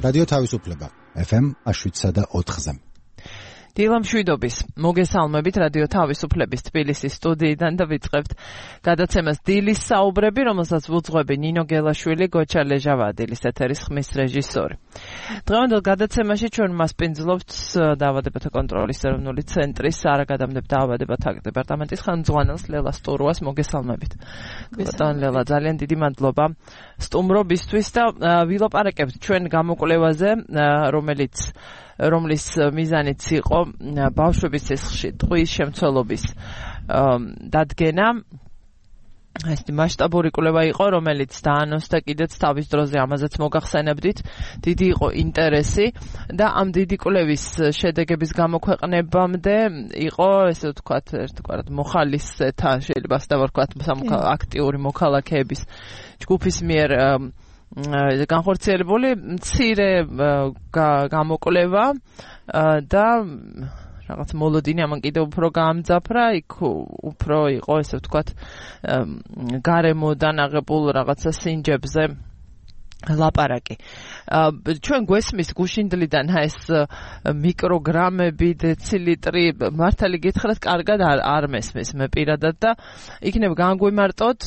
რადიო თავისუფლება FM 107.4-ზე. დილამშვიდობის მოგესალმებით რადიო თავისუფლების თბილისის სტუდიიდან და ვიწყებთ გადაცემას დილის საუბრები, რომელსაც ვუძღვები ნინო გელაშვილი, გოჩა ლეჟავადილის ეთერის ხმის რეჟისორი. დღევანდელ გადაცემაში ჩვენ მასპინძლობთ დაავადებათა კონტროლის ეროვნული ცენტრის არაგადამდებთ დაავადებათა დეპარტამენტის ხელმძღვანელს ლელა სტურუას. მოგესალმებით. ბატონ ლელა, ძალიან დიდი მადლობა სტუმრობისთვის და ვილაპარაკებთ ჩვენ გამოკვლევაზე, რომლის მიზანიც იყო ბავშვების სისხლში ტყვის შემცველობის დადგენა. ეს მასშტაბური კვლევა იყო, რომელიც დაანონსდა კიდეც თავის დროზე, ამაზეც მოგახსენებდით. დიდი იყო ინტერესი და ამ დიდი კვლევის შედეგების გამოქვეყნებამდე იყო, ესე ვთქვათ, ერთგვარად მოხალისეთა, შეიძლება დავარქვათ, აქტიური მოქალაქეების ჯგუფის მიერ განხორციელებული მცირე გამოკვლევა და რაღაც მოლოდინი ამან კიდევ უფრო გაამძაფრა, იქ უფრო იყო, ესე ვთქვათ, გარემოდან აღებულ რაღაცა სინჯებზე ლაპარაკი. ჩვენ გვესმის გუშინდლიდან ეს მიკროგრამები, დეცილიტრი, მართალი გითხრათ, კარგად არ მესმის მე პირადად და იქნებ განგვიმარტოთ,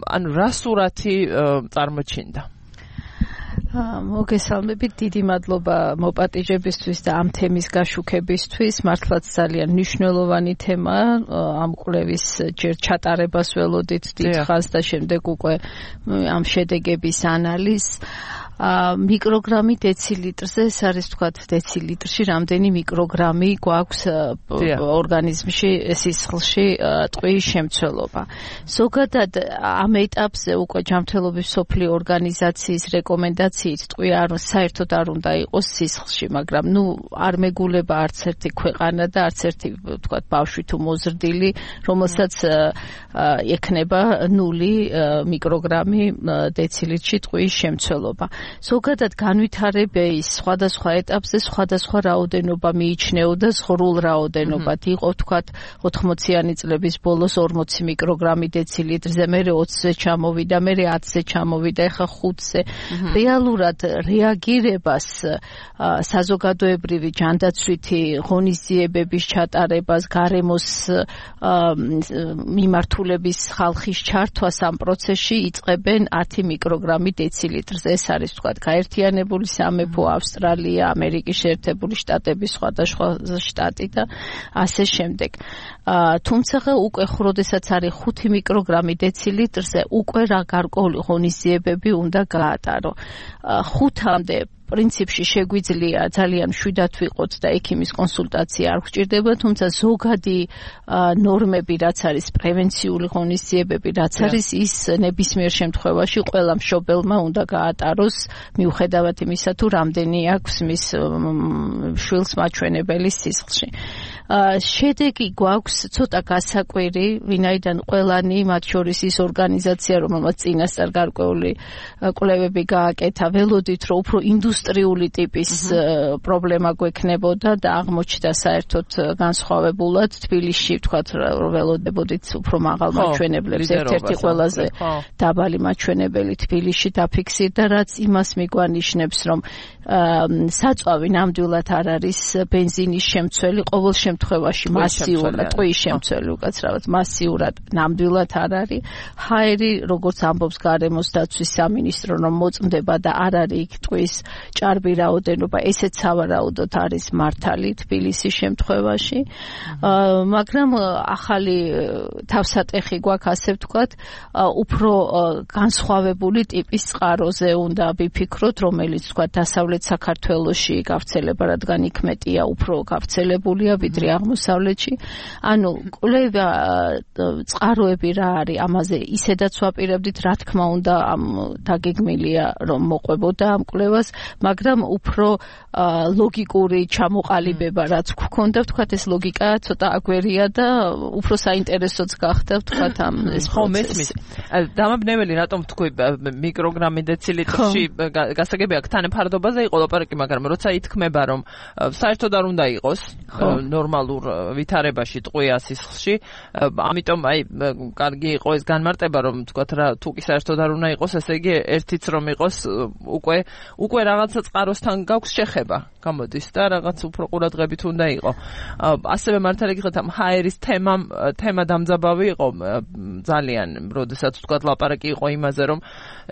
ანუ რა სურათი წარმოჩინდა. მოგესალმებით, დიდი მადლობა მოპატიჟებისთვის და ამ თემის გაშუქებისთვის. მართლაც ძალიან მნიშვნელოვანი თემა, ამ კვლევის ჯერ ჩატარებას ველოდით დიდხანს და შემდეგ უკვე ამ შედეგების ანალიზს. მიკროგრამი დეცილიტრზე, ეს არის ვთქვათ დეცილიტრში რამდენი მიკროგრამი გვაქვს ორგანიზმში, სისხლში ტყვის შემცველობა. ზოგადად ამ ეტაპზე უკვე ჯანმრთელობის მსოფლიო ორგანიზაციის რეკომენდაციით ტყვი საერთოდ არ უნდა იყოს სისხლში, მაგრამ არ მეგულება არც ერთი ქვეყანა და არც ერთი ვთქვათ ბავშვი თუ მოზრდილი, რომელსაც ექნება 0 მიკროგრამი დეცilitrში ტყვის შემცველობა. ზოგადად განვითარების სხვადასხვა ეტაპზე სხვადასხვა რაოდენობა მიიჩნეოდა ზღრულ რაოდენობად. იყო თქვათ 80-იანი წლების ბოლოს 40 მიკროგრამი დეცilitrზე, მერე 20-ზე ჩამოვიდა, მერე 10-ზე ჩამოვიდა, ეხა 5-ზე. რეალურად რეაგირებას საზოგადოებრივი ჯანდაცვითი ღონისძიებების ჩატარებას, გარემოს მიმართულების ხალხის ჩართვას ამ პროცესში იწყებენ 10 მიკროგრამი დეცilitrზე. ეს არის ვთქვათ გაერთიანებული სამეფო, ავსტრალია, ამერიკის შეერთებული შტატების სხვადასხვა შტატი და ასე შემდეგ. თუმცა უკვე როდესაც არის 5 მიკროგრამი დეცilitrზე, უკვე რა გარკვეული ღონისძიებები უნდა გაატარო. 5-მდე პრინციპში შეგვიძლია ძალიან მშვიდად ვიყოთ და ექიმის კონსულტაცია არ გვჭირდება, თუმცა ზოგადი ნორმები, რაც არის პრევენციული ღონისძიებები, რაც არის ის ნებისმიერ შემთხვევაში ყველა მშობელმა უნდა გაატაროს, მიუხედავად იმისა, თუ რამდენი აქვს მის შვილს მაჩვენებელი სისხლში. შედეგი გვაქვს ცოტა გასაკვირი, ვინაიდან ყველანი, მათ შორის ის ორგანიზაცია, რომელმაც წინასწარ გარკვეული კვლევები გააკეთა, ველოდით, რომ უფრო ინდუსტრიული ტიპის პრობლემა გვექნებოდა და აღმოჩნდა საერთოდ განსხვავებულად თბილისში, ვთქვათ, ველოდებოდით უფრო მაღალ მაჩვენებლებს, ერთ-ერთი ყველაზე დაბალი მაჩვენებელი თბილისში დაფიქსირდა, რაც იმას მიგვანიშნებს, რომ საწვავი ნამდვილად არ არის ბენზინის შემცველი, ყოველ შემთხვევაში მასიურად ტყვის შემცველი, უკაცრავად მასიურად ნამდვილად არ არის. ჰაერი, როგორც ამბობს გარემოს დაცვის სამინისტრო, რომ მოწმდება და არ არის იქ ტყვის ჭარბი რაოდენობა, ესეც სავარაუდოდ არის მართალი თბილისის შემთხვევაში. მაგრამ ახალი თავსატეხი გვაქვს, ასე ვთქვათ, უფრო განსხვავებული ტიპის წყაროზე უნდა ვიფიქროთ, რომელიც ვთქვათ დასავლეთ საქართველოში გავრცელება, რადგან იქ მეტია, უფრო გავრცელებულია ვიდრე აღმოსავლეთში. ანუ კვლევა წყაროები რა არის, ამაზე ისედაც ვაპირებდით, რა თქმა უნდა, დაგეგმილია რომ მოყვებოდა ამ კვლევას, მაგრამ უფრო ლოგიკური ჩამოყალიბება რაც გვქონდა, ვთქვათ, ეს ლოგიკა ცოტა აგვერია და უფრო საინტერესოც გახდა, ვთქვათ, ამ ეს პროცესი. დამაბნეველი რატომ თქვი მიკროგრამი დეცilitrში გასაგებია თანაფარდობაზე იყო ლაპარაკი, მაგრამ როცა ითქმება, რომ საერთოდ არ უნდა იყოს ნორმალურ ვითარებაში ტყვია სისხლში. ამიტომ კარგი იყო ეს განმარტება, რომ თქვათ რა თუ კი საერთოდ არ უნდა იყოს, ესე იგი ერთიც რომ იყოს უკვე რაღაცა წყაროსთან გაქვს შეხება გამოდის და რაღაც უფრო ყურადღებით უნდა იყო. ასევე მართალი გითხრათ ამ ჰაერის თემა დამძაბავი იყო ძალიან, როდესაც თქვათ ლაპარაკი იყო იმაზე, რომ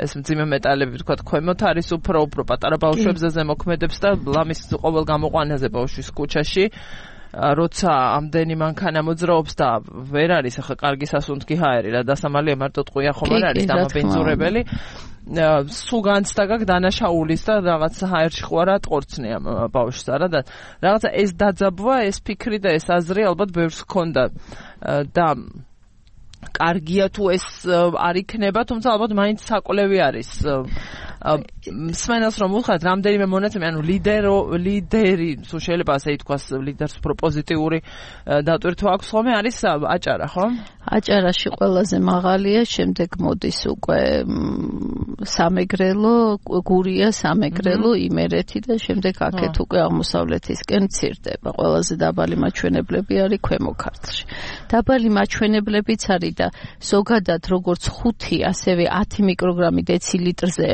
ეს მძიმე მეტალები თქვათ ქვემოთ არის უფრო პატარა ბავშვებზე ზემოქმედებს და ლამის ყოველ გამოყვანაზე ბავშვის ქუჩაში როცა ამდენი მანქანა მოძრაობს და ვერ არის ახლა კარგი სასუნთქი ჰაერი რა დასამალია მარტო ტყვია ხომ არ არის დამაბინძურებელი სულ განცდა გაქვს დანაშაულის და რაღაც ჰაერში ხო არა ტყორცნია ბავშვს არა და რაღაცა ეს დაძაბვა ეს ფიქრი და ეს აზრი ალბათ ბევრს ჰქონდა და კარგია თუ ეს არ იქნება, თუმცა ალბათ მაინც საკვლევი არის. მსმენელს რომ უხდათ რამდენიმე მონაცემი, ანუ ლიდერი, თუ შეიძლება ასე ითქვას, ლიდერს პროპოზიტიური დატვირთვა აქვს ხოლმე არის აჭარა, ხო? აჭარაში ყველაზე მაღალია, შემდეგ მოდის უკვე სამეგრელო, გურია, სამეგრელო, იმერეთი და შემდეგ აქეთ უკვე აღმოსავლეთისკენ მცირდება. ყველაზე დაბალი მაჩვენებლები არის ქვემო ქართლში. დაბალი მაჩვენებლებიც არის და ზოგადად როგორც 5, ასევე 10 მიკროგრამი დეცილიტრზე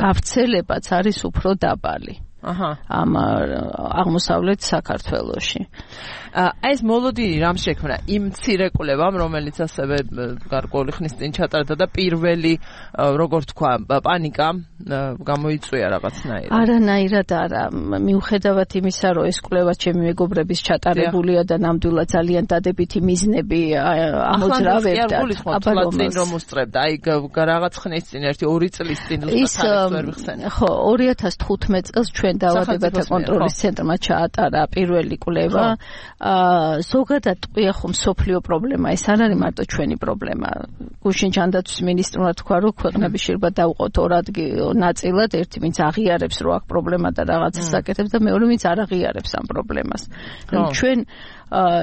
გავრცელებაც არის უფრო დაბალი. ამ აღმოსავლეთ საქართველოში. ეს მოლოდინი რამ შექმნა? იმ მცირე კვლევამ, რომელიც ასევე გარკვეული ხნის წინ ჩატარდა და პირველი, როგორ თქვა, პანიკა გამოიწვია რაღაცნაირად. არანაირად არა. მიუხედავად იმისა, რომ ეს კვლევა ჩემი მეგობრების ჩატარებულია და ნამდვილად ძალიან დადებითი მიზნები ამოძრავებდა. აბა რომ უსწრებდა. აი რაღაც ხნის წინ, 1-2 წლის წინ ვერ ვიხსენე. ხო, 2015 წელს ჩვენ დაავადებათა კონტროლის ცენტრმა ჩაატარა პირველი კვლევა. ზოგადად ტყვია ხომ სოფლიო პრობლემა, ეს არ არის მარტო ჩვენი პრობლემა. გუშინ ჯანდაცვის მინისტრმა თქვა, რომ ქვეყნები შეიძლება დაუყოთ 2 ნაწილად, ერთი ვინც აღიარებს, რომ აქ პრობლემა და რაღაცას აკეთებს და მეორე ვინც არ აღიარებს ამ პრობლემას. ჩვენ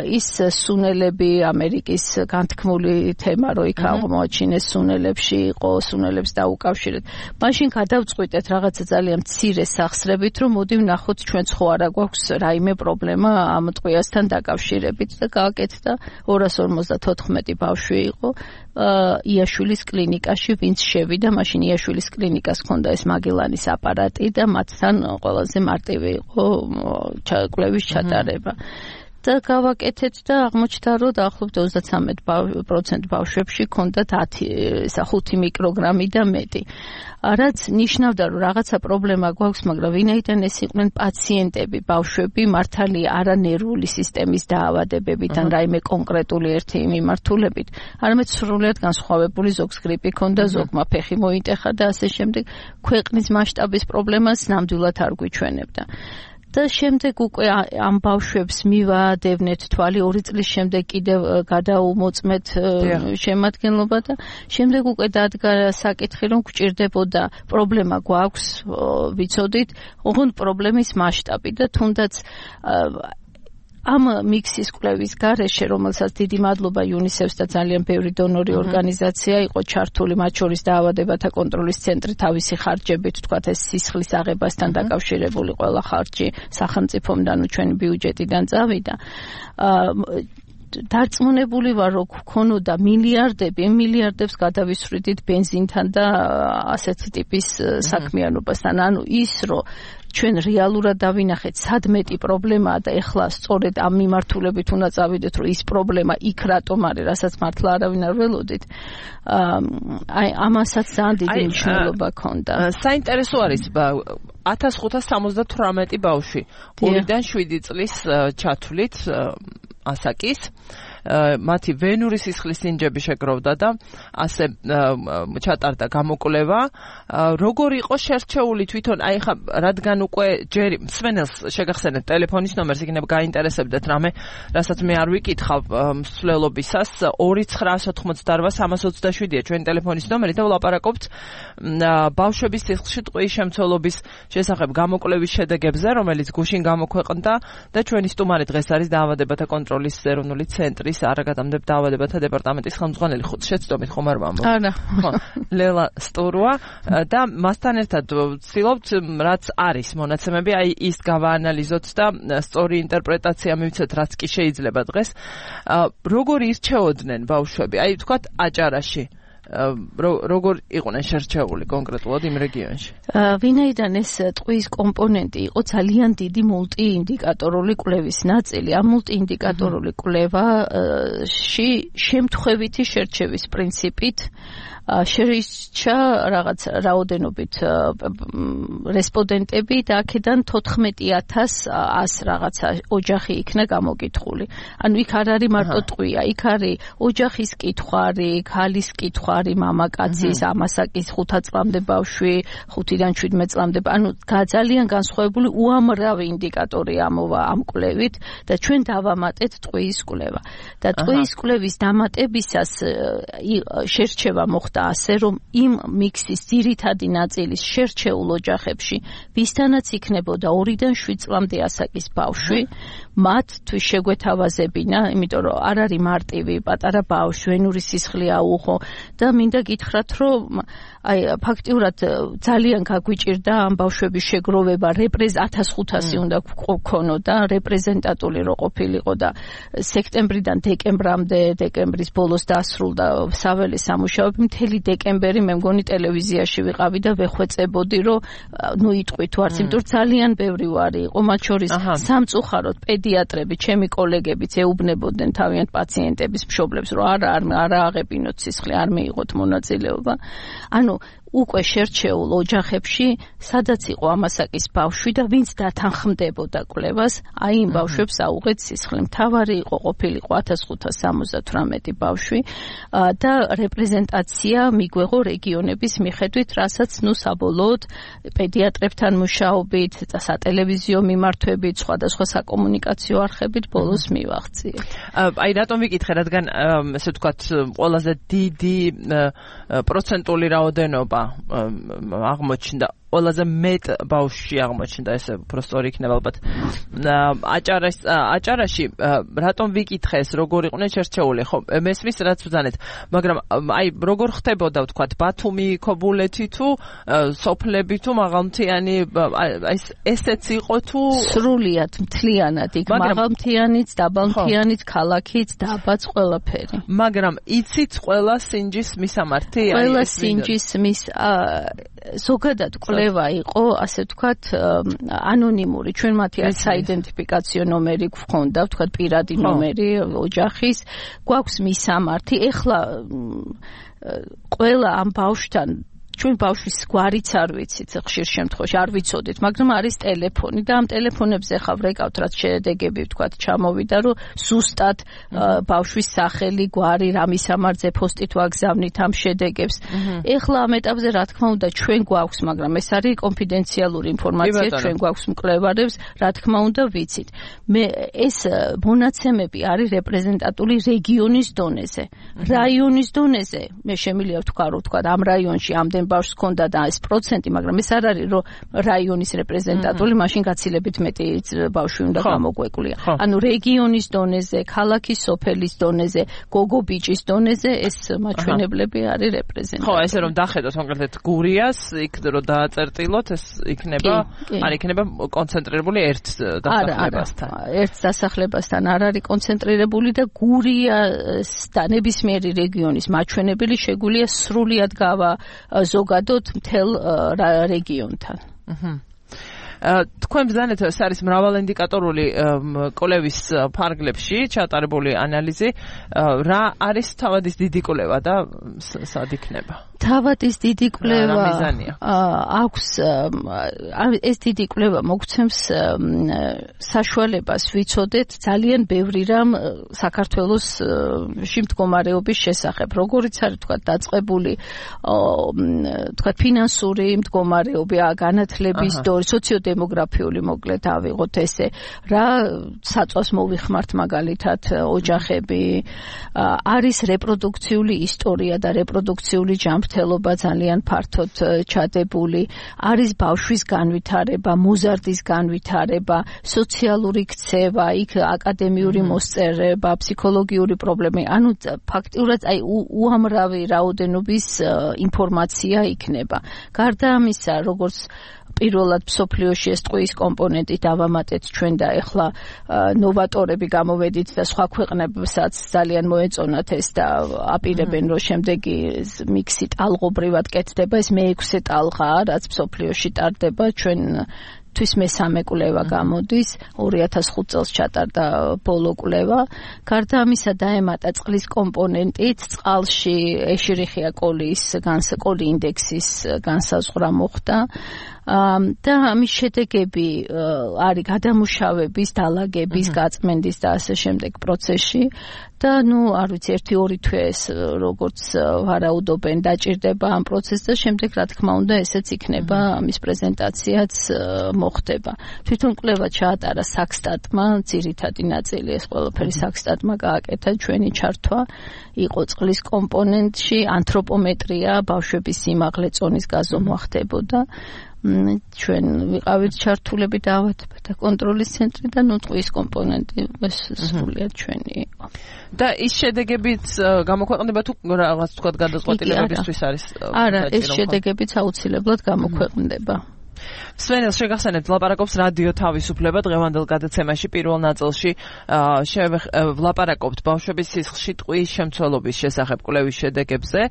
ის სუნელები ამერიკის განთქმული თემა რო იქ აღმოაჩინეს სუნელებში იყო სუნელებს დაუკავშირეთ. მაშინ გადავწყვიტეთ რაღაცა ძალიან მცირე სახსრებით რომ მოდი ვნახოთ ჩვენ ხო არა გვაქვს რაიმე პრობლემა ამ ტყვიასთან დაკავშირებით და გააკეთდა 254 ბავშვი იყო იაშვილის კლინიკაში ვინც შევიდა მაშინ იაშვილის კლინიკას ჰქონდა ეს მაგელანის აპარატი და მათთან ყველაზე მარტივი იყო კვლევის ჩატარება. და გავაკეთეთ და აღმოჩნდა რომ დაახლოებით 33% ბავშვებში ჰქონდათ 5 მიკროგრამი და მეტი. რაც ნიშნავდა რომ რაღაცა პრობლემა გვაქვს, მაგრამ ვინაიდან ეს იყვნენ პაციენტები, ბავშვები მართალი არა ნერვული სისტემის დაავადებებით ან რაიმე კონკრეტული ერთი მიმართულებით, არამედ სრულიად განსხვავებული ზოგს გრიპი ჰქონდა, ზოგმა ფეხი მოიტეხა და ასე შემდეგ, ქვეყნის მასშტაბის პრობლემას ნამდვილად არ გვიჩვენებდა. და შემდეგ უკვე ამ ბავშვებს მივაადევნეთ თვალი 2 წლის შემდეგ კიდევ გადაუმოწმეთ შემადგენლობა და შემდეგ უკვე დადგა საკითხი რომ გვჭირდებოდა პრობლემა გვაქვს ვიცოდით ოღონდ პრობლემის მასშტაბი და თუნდაც ამ მიქსის კვლევის გარეშე, რომელსაც დიდი მადლობა UNICEF-ს და ძალიან ბევრი დონორი ორგანიზაცია იყო ჩართული, მათ შორის დაავადებათა კონტროლის ცენტრი თავისი ხარჯებით, თქვათ ეს სისხლის აღებასთან დაკავშირებული ყველა ხარჯი სახელმწიფომდან ჩვენი ბიუჯეტიდან წავიდა. დარწმუნებული ვარ, რომ გქონოდა მილიარდებს გადავისვრიდით ბენზინთან და ასეთი ტიპის საქმიანობასთან. ანუ ის, რომ ჩვენ რეალურად დავინახეთ სადმეტი პრობლემაა და ეხლა სწორედ ამ მიმართულებით უნდა წავიდეთ, რომ ის პრობლემა იქ რატომ არის, რასაც მართლა არავინ არ ველოდით. აი ამასაც ძალიან დიდი მნიშვნელობა ჰქონდა. საინტერესო არის 1578 ბავშვი 2-დან 7 წლის ჩათვლით ასაკის მათი ვენური სისხლის სინჯები შეგროვდა და ასე ჩატარდა გამოკვლევა. როგორ იყო შერჩეული თვითონ, აი ხა რადგან უკვე ჯერი მსმენელს შეგახსენეთ ტელეფონის ნომერს, იქნება გაინტერესებდეთ რამე, რასაც მე არ ვიკითხავ მსვლელობისას 2988-327-ია ჩვენი ტელეფონის ნომერი და ვლაპარაკობთ ბავშვების სისხლში ტყვის შემცველობის შესახებ გამოკვლევის შედეგებზე, რომელიც გუშინ გამოქვეყნდა და ჩვენი სტუმარი დღეს არის დაავადებათა კონტროლის ეროვნული ცენტრის არის არაგადამდებთ დაავადებათა დეპარტამენტის ხელმძღვანელი, შეცდომით ხომ არ ვამბობ? არა. ხო, ლელა სტურვა და მასთან ერთად ვცდილობთ რაც არის მონაცემები, აი ის გავაანალიზოთ და სწორი ინტერპრეტაცია მივცეთ, რაც კი შეიძლება დღეს. როგორ ირჩეოდნენ ბავშვები? აი ვთქვათ აჭარაში როგორ იყვნენ შერჩეული კონკრეტულად იმ რეგიონში? ვინაიდან ეს ტყვის კომპონენტი იყო ძალიან დიდი მულტიინდიკატორული კვლევის ნაწილი, ამ მულტიინდიკატორული კვლევაში შემთხვევითი შერჩევის პრინციპით შეირჩა რაღაც რაოდენობით რესპონდენტები და აქედან 14100 რაღაცა ოჯახი იქნა გამოკითხული. ანუ იქ არ არის მარტო ტყვია, იქ არის ოჯახის კითხვარი, ქალის კითხვარი, მამაკაცის, ამასაკის 5 წლამდე ბავშვი, 5-დან 17 წლამდე. ანუ ძალიან განსხვავებული უამრავი ინდიკატორი ამოვა ამ კვლევით და ჩვენ დავამატეთ ტყვის კვლევა. და ტყვის კვლევის დამატებისას შერჩევა მოხდა ასე, რომ იმ მიქსის ძირითადი ნაწილის შერჩეულ ოჯახებში, ვისთანაც იქნებოდა 2-დან 7 წლამდე ასაკის ბავშვი, მათთვის შეგვეთავაზებინა, იმიტომ რომ არ არის მარტივი პატარა ბავშვი, ვენური სისხლი აუღო და მინდა გითხრათ, რომ აი ფაქტიურად ძალიან გაგვიჭირდა ამ ბავშვების შეგროვება, 1500 უნდა გქონოდა, რეპრეზენტატული რო ყოფილიყო და სექტემბრიდან დეკემბრამდე, დეკემბრის ბოლოს დასრულდა საველე სამუშაოები, მთელი დეკემბერი მე მგონი ტელევიზიაში ვიყავი და ვეხვეწებოდი, რომ ნუ იტყვი თუ არც, იმიტომ ძალიან ბევრი ვარი იყო, მათ შორის სამწუხაროდ პედიატრები, ჩემი კოლეგებიც ეუბნებოდნენ თავიანთ პაციენტების მშობლებს, რომ არა აღებინოთ სისხლი, არ მიიღოთ მონაწილეობა. ანუ უკვე შერჩეულ ოჯახებში, სადაც იყო ამასაკის ბავშვი და ვინც დათანხმდებოდა კვლევას, აი იმ ბავშვებს აუღეთ სისხლი. მთავარი ყოფილიყო 1578 ბავშვი და რეპრეზენტაცია მიგვეღო რეგიონების მიხედვით, რასაც ნუ საბოლოოდ პედიატრებთან მუშაობით და სატელევიზიო მიმართვებით, სხვადასხვა საკომუნიკაციო არხებით ბოლოს მივაღწიეთ. აი რატომ ვიკითხე, რადგან ესე ვთქვათ, ყველაზე დიდი პროცენტული რაოდენობა აღმოჩნდა, ყველაზე მეტ ბავშვში აღმოჩნდა, ესე უფრო სწორი იქნება ალბათ. აჭარაში რატომ ვიკითხე ეს, როგორ იყვნენ შერჩეული? ხო, მესმის რაც ვძანეთ, მაგრამ აი როგორ ხდებოდა, ვთქვათ, ბათუმი, ქობულეთი თუ სოფლები თუ მაღალმთიანი, აი ესეც იყო თუ სრულიად მთლიანად იქ მაღალმთიანიც, დაბალმთიანიც, ქალაქიც, დაბაც ყველაფერი. მაგრამ იცით ყველა სინჯის მისამართი? ყველა სინჯის ზოგადად კვლევა იყო, ასე ვთქვათ, ანონიმური. ჩვენ მათი საიდენტიფიკაციო ნომერი გვქონდა, ვთქვათ, პირადი ნომერი ოჯახის, გვაქვს მისამართი. ეხლა ყველა ამ ბავშვთან ჩვენ ბავშვის გვარიც არ ვიცით, ხშირ შემთხვევაში არ ვიცოდით, მაგრამ არის ტელეფონი და ამ ტელეფონებზე ხავ რეკავთ, რაც შედეგები ვთქვათ ჩამოვიდა, რომ ზუსტად ბავშვის სახელი, გვარი, რა მისამართზე ფოსტით ვაგზავნით ამ შედეგებს. ეხლა ამ ეტაპზე რა თქმა უნდა ჩვენ გვაქვს, მაგრამ ეს არის კონფიდენციალური ინფორმაცია, ჩვენ გვაქვს მკვლევარებს, რა თქმა უნდა ვიცით. ეს მონაცემები არის რეპრეზენტატული რეგიონის დონეზე. რაიონის დონეზე მე შემიძლია ვთქვათ, ამ რაიონში ამდენ ბავშვს ჰქონდა და ეს პროცენტი, მაგრამ ეს არ არის, რომ რაიონის რეპრეზენტატული, მაშინ გაცილებით მეტი ბავშვი უნდა გამოგვეკლია. ანუ რეგიონის დონეზე, ქალაქის, სოფელის დონეზე, გოგო ბიჭის დონეზე ეს მაჩვენებლები არის რეპრეზენტატული. ხო, ესე რომ დახედოთ კონკრეტულად გურიას, იქ რომ დააწერტილოთ, ეს იქნება, არ იქნება კონცენტრირებული ერთ დასახლებასთან. ერთ დასახლებასთან არ არის კონცენტრირებული და გურიას და ნებისმიერი რეგიონის მაჩვენებელი შეგვიძლია სრულიად ზოგადად მთელ რეგიონთან. თქვენ ბრძანეთ, ეს არის მრავალინდიკატორული კვლევის ფარგლებში ჩატარებული ანალიზი. რა არის თავადის დიდი კვლევა და სად იქნება? თავადის დიდი კვლევა აქვს, ეს დიდი კვლევა მოგცემს საშუალებას ვიცოდეთ ძალიან ბევრი რამ საქართველოსში მდგომარეობის შესახებ. როგორიც არის თქვათ დაწყებული თქვათ ფინანსური მდგომარეობა, განათლების დორი, სოციოდემოგრაფიული მოკლედ ავიღოთ ესე, რა საწვავს მოვიხმართ მაგალითად ოჯახები, არის რეპროდუქციული ისტორია და რეპროდუქციული ჯანმრთელობა ჯანმრთელობა ძალიან ფართოდ ჩადებული, არის ბავშვის განვითარება, მოზარდის განვითარება, სოციალური ქცევა, იქ აკადემიური მოსწერება, ფსიქოლოგიური პრობლემები, ანუ ფაქტიურად აი უამრავი რაოდენობის ინფორმაცია იქნება. გარდა ამისა, როგორც პირველად მსოფლიოში ეს ტყუის კომპონენტი დავამატეთ ჩვენ და ეხლა ნოვატორები გამოვედით და სხვა ქვეყნებსაც ძალიან მოეწონათ ეს და აპირებენ რომ შემდეგი მიქსი ტალღობრივად კეთდება, ეს მე-6 ტალღაა, რაც მსოფლიოში ტარდება, ჩვენ თვის მე-3 კვლევა გამოდის, 2005 წელს ჩატარდა ბოლო კვლევა. გარდა ამისა დაემატა წყლის კომპონენტით, წყალში ეშერიხია კოლის კოლი ინდექსის განსაზღვრა მოხდა. და ამის შედეგები არის გადამუშავების, დალაგების, გაწმენდის და ასე შემდეგ პროცესში და არ ვიცი 1-2 თვე ეს როგორც ვარაუდობენ დაჭირდება ამ პროცესს და შემდეგ რა თქმა უნდა ესეც იქნება ამის პრეზენტაციაც მოხდება. თვითონ კვლევა ჩაატარა საქსტატმა, ძირითადი ნაწილი ეს ყველაფერი საქსტატმა გააკეთა, ჩვენი ჩართვა იყო წყლის კომპონენტში, ანთროპომეტრია, ბავშვების სიმაღლე, წონის გაზომვა ხდებოდა. ჩვენ ვიყავით ჩართულები დაავადებათა და კონტროლის ცენტრი და ტყუის კომპონენტი ეს სრულიად ჩვენი იყო. და ის შედეგებიც გამოქვეყნდება თუ რაღაც თქვა გადაწყვეტილებებისთვის არის? არა, ეს შედეგებიც აუცილებლად გამოქვეყნდება. სვენელს შეგახსენებთ ლაპარაკობს რადიო თავისუფლება დღევანდელ გადაცემაში პირველ ნაწილში ვლაპარაკობთ ბავშვების სისხლში ტყუის შემცველობის შესახებ კვლევის შედეგებზე.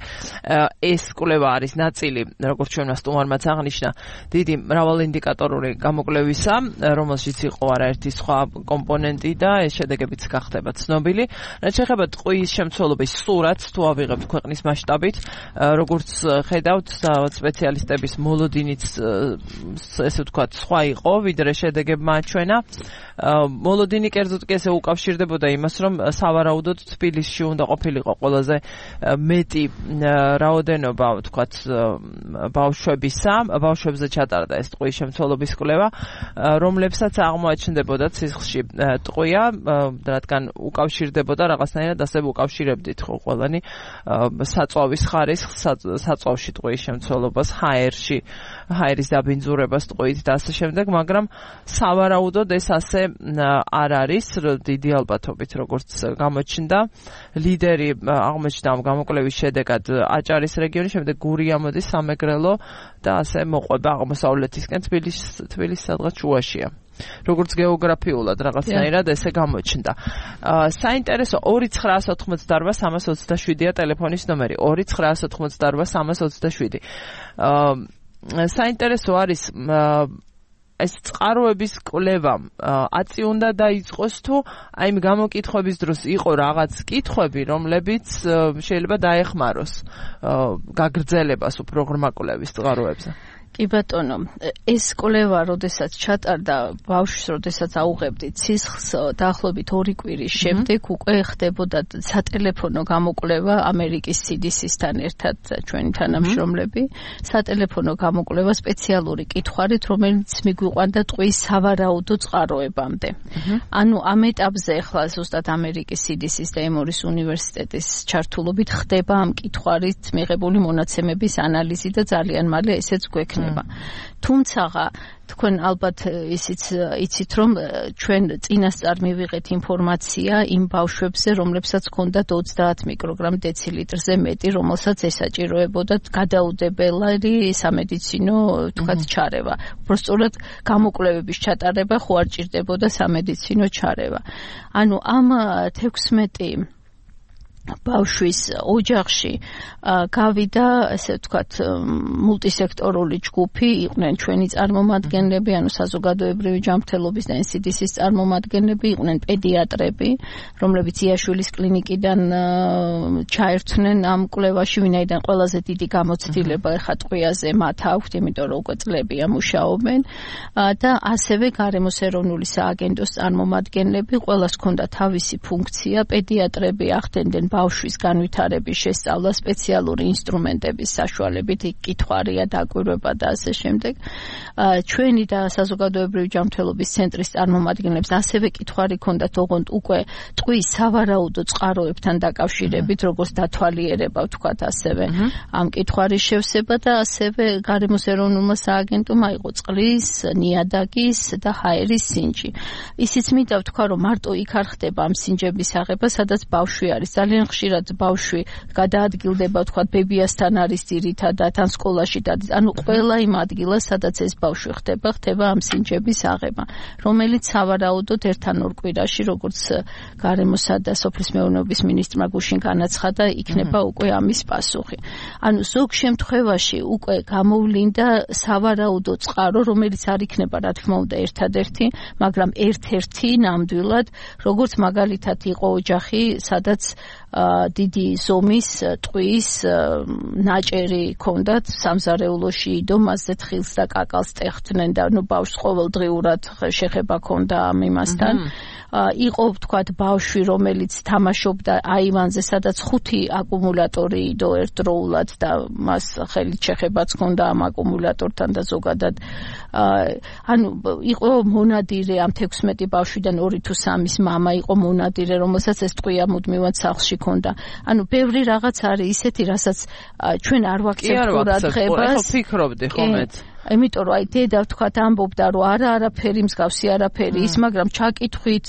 ეს კვლევა არის ნაწილი, როგორც ჩვენმა სტუმარმაც აღნიშნა, დიდი მრავალინდიკატორული გამოკვლევისა, რომელშიც იყო არაერთი სხვა კომპონენტი და ეს შედეგებიც გახდება ცნობილი. რაც შეეხება ტყუის შემცველობის სურათს თუ ავიღებთ ქვეყნის მასშტაბით, როგორც ხედავთ, სპეციალისტების მოლოდინიც ესე ვთქვათ, სხვა იყო, ვიდრე შედეგებმა აჩვენა. მოლოდინი კერძოდ კი ესე უკავშირდებოდა იმას, რომ სავარაუდოდ თბილისში უნდა ყოფილიყო ყველაზე მეტი რაოდენობა, ვთქვათ, ბავშვებზე ჩატარდა ეს ტყუის შემცველობის კვლევა, რომლებსაც აღმოაჩნდებოდათ სისხლში ტყუია, რადგან უკავშირდებოდა რაღაცნაირად ასე უკავშირებდით ხო ყველანი საწვავის ხარისხს, საწვავში ტყუის შემცველობას, ჰაერის დაბინძურებას ტყუით და ასე შემდეგ, მაგრამ სავარაუდოდ ეს ასე არ არის დიდი ალბათობით, როგორც გამოჩნდა. ლიდერი აღმოჩნდა ამ გამოკვლევის შედეგად აჭარის რეგიონი, შემდეგ გურია მოდის, სამეგრელო და ასე მოყვება აღმოსავლეთისკენ, თბილისის სადღაც შუაშია. როგორც გეოგრაფიულად რაღაცნაირად ესე გამოჩნდა. საინტერესო 2988-327-ია ტელეფონის ნომერი, 2988-327. საინტერესო არის ეს წყაროების კვლევა აწი უნდა დაიწყოს თუ აი იმ გამოკითხვების დროს იყო რაღაც კითხვები, რომლებიც შეიძლება დაეხმაროს გაგრძელებას უფრო ღრმა კვლევის წყაროებზე. კი ბატონო, ეს კვლევა, როდესაც ჩატარდა ბავშვს, როდესაც აუღებდით სისხლს, დაახლოებით 2 კვირის შემდეგ უკვე ხდებოდა სატელეფონო გამოკვლევა ამერიკის CDC-სთან ერთად ჩვენი თანამშრომლები, სატელეფონო გამოკვლევა სპეციალური კითხვარით, რომელიც მიგვიყვანდა ტყუის სავარაუდო წყაროებამდე. ანუ ამ ეტაპზე ახლა ზუსტად ამერიკის CDC-ის და ემორის უნივერსიტეტის ჩართულობით ხდება ამ კითხვარით მიღებული მონაცემების ანალიზი და ძალიან მალე ესეც გვექნება. თუმცა თქვენ ალბათ იცით რომ ჩვენ წინასწარ მივიღეთ ინფორმაცია იმ ბავშვებზე, რომლებსაც ჰქონდათ 30 მიკროგრამ დეცილიტრზე მეტი, რომელსაც ესაჭიროებოდათ გადაუდებელი სამედიცინო თქვათ ჩარევა. უბრალოდ გამოკვლევების ჩატარება ხო არ ჭირდებოდა სამედიცინო ჩარევა. ანუ ამ 16 ბავშვის ოჯახში გავიდა, ასე ვთქვათ, მულტისექტორული ჯგუფი, იყვნენ ჩვენი წარმომადგენლები, ანუ საზოგადოებრივი ჯანმრთელობის და NCDC-ის წარმომადგენლები, იყვნენ პედიატრები, რომლებიც იაშვილის კლინიკიდან ჩაერთვნენ ამ კვლევაში, ვინაიდან ყველაზე დიდი გამოცდილება ეხა ტყვიაზე მათ აქვთ, იმიტომ რომ უკვე წლებია მუშაობენ და ასევე გარემოს ეროვნული სააგენტოს წარმომადგენლები, ყველას ჰქონდა თავისი ფუნქცია, პედიატრები ახდენდნენ ბავშვის განვითარების შესწავლა სპეციალური ინსტრუმენტების საშუალებით, კითხვარია, დაკვირვება და ასე შემდეგ. ჩვენი და საზოგადოებრივი ჯანმრთელობის ცენტრის წარმომადგენლებს ასევე კითხვარი ჰქონდათ ოღონდ უკვე ტყვის სავარაუდო წყაროებთან დაკავშირებით, როგორც დათვალიერება, ვთქვათ, ასევე ამ კითხვარის შევსება და ასევე გარემოს ეროვნულმა სააგენტომ აიღო წყლის, ნიადაგის და ჰაერის სინჯი. ისიც მინდა ვთქვა, რომ მარტო იქ არ ხდება ამ სინჯების აღება, სადაც ბავშვი არის. ძალიან ხშირად ბავშვი გადაადგილდება, ვთქვათ, ბებიასთან არის ძირითადად, ან სკოლაში დადის. ანუ ყველა იმ ადგილას, სადაც ეს ბავშვი ხდება ამ სინჯების აღება, რომელიც სავარაუდოდ ერთ ან ორ კვირაში, როგორც გარემოსა და სოფლის მეურნეობის მინისტრმა გუშინ განაცხადა, იქნება უკვე ამის პასუხი. ანუ ზოგ შემთხვევაში უკვე გამოვლინდა სავარაუდო წყარო, რომელიც არ იქნება, რა თქმა უნდა, ერთადერთი, მაგრამ ერთ-ერთი ნამდვილად, როგორც მაგალითად იყო ოჯახი, სადაც დიდი ზომის ტყვის ნაჭერი ჰქონდათ, სამზარეულოში იდო, მასზე თხილს და კაკალს ტეხდნენ და ბავშვს ყოველდღიურად შეხება ჰქონდა ამ იმასთან. იყო, ვთქვათ, ბავშვი, რომელიც თამაშობდა აივანზე, სადაც 5 აკუმულატორი იდო ერთდროულად და მას ხელით შეხებაც ჰქონდა ამ აკუმულატორთან და ზოგადად ანუ იყო მონადირე ამ 16 ბავშვიდან 2 თუ 3-ის მამა იყო მონადირე, რომელსაც ეს ტყვია მუდმივად სახლში ჰქონდა. ანუ ბევრი რაღაც არის ისეთი, რასაც ჩვენ არ ვაქცევთ ყურადღებას. ხო, ფიქრობდი ხომეთ. იმიტომ რომ დედა ვთქვათ ამბობდა რომ არაფერი მსგავსი არაფერი ის, მაგრამ ჩაკითხვით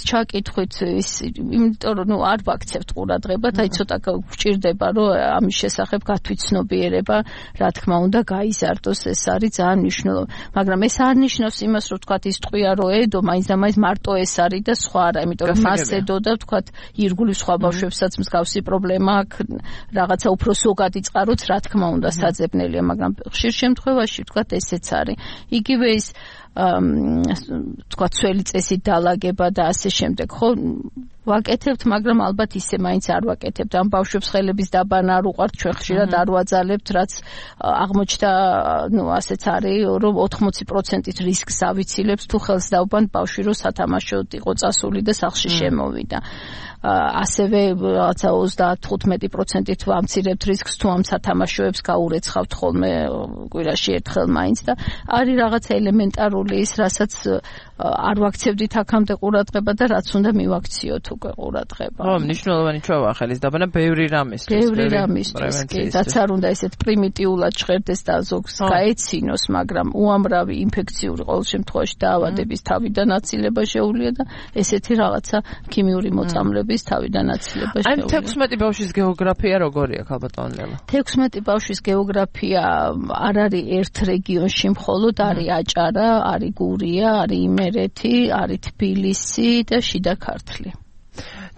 ის, იმიტომ რომ არ ვაქცევთ ყურადღებას, აი ცოტა გვჭირდება რომ ამის შესახებ გათვითცნობიერება, რა თქმა უნდა, გაიზარდოს, ეს არის ძალიან მნიშვნელოვანი. მაგრამ ეს არ ნიშნავს იმას, რომ ვთქვათ ის ტყვია რო ედო, მაინც და მაინც მარტო ეს არის და სხვა არა, იმიტომ რომ მას ედო და ვთქვათ ირგვლივ სხვა ბავშვებსაც მსგავსი პრობლემა აქვს, რაღაცა უფრო ზოგადი წყაროც, რა თქმა უნდა, საძებნელია, მაგრამ ხშირ შემთხვევაში ვთქვათ ესეც არის. იგივე ის თქვა ცველი წესით დალაგება და ასე შემდეგ. ხო, ვაკეთებთ, მაგრამ ალბათ ისე მაინც არ ვაკეთებთ. ამ ბავშვებს ხელების დაბანა არ უყვართ, ჩვენ ხშირად არ ვაძალებთ, რაც აღმოჩნდა, ასეც არის, რომ 80%-ით რისკს ავიცილებს თუ ხელს დავბანთ ბავშვი, რომ სათამაშოდ იყო წასული და სახლში შემოვიდა. ასევე რაღაცა 30-15%-ით ვამცირებთ რისკს თუ ამ სათამაშოებს გაურეცხავთ ხოლმე კვირაში ერთხელ მაინც და არის რაღაცა ელემენტარული ის, რასაც არ ვაქცევდით აქამდე ყურადღება და რაც უნდა მივაქციოთ უკვე ყურადღება. ხო, მნიშვნელოვანი ჩვევა ხელის დაბანა ბევრი რამისთვის. ბევრი რამისთვის, კი, რაც არ უნდა ესეთ პრიმიტიულად ჟღერდეს და ზოგს გაეცინოს, მაგრამ უამრავი ინფექციური ყოველ შემთხვევაში დაავადების თავიდან აცილება შეუძლია და ესეთი რაღაცა ქიმიური მოწამლების თავიდან აცილება შეუძლია. აი 16 ბავშვის გეოგრაფია როგორია, ქალბატონო ლელა? 16 ბავშვის გეოგრაფია არ არის ერთ რეგიონში მხოლოდ, არის აჭარა, არის გურია, არის იმერეთი, არის თბილისი და შიდა ქართლი.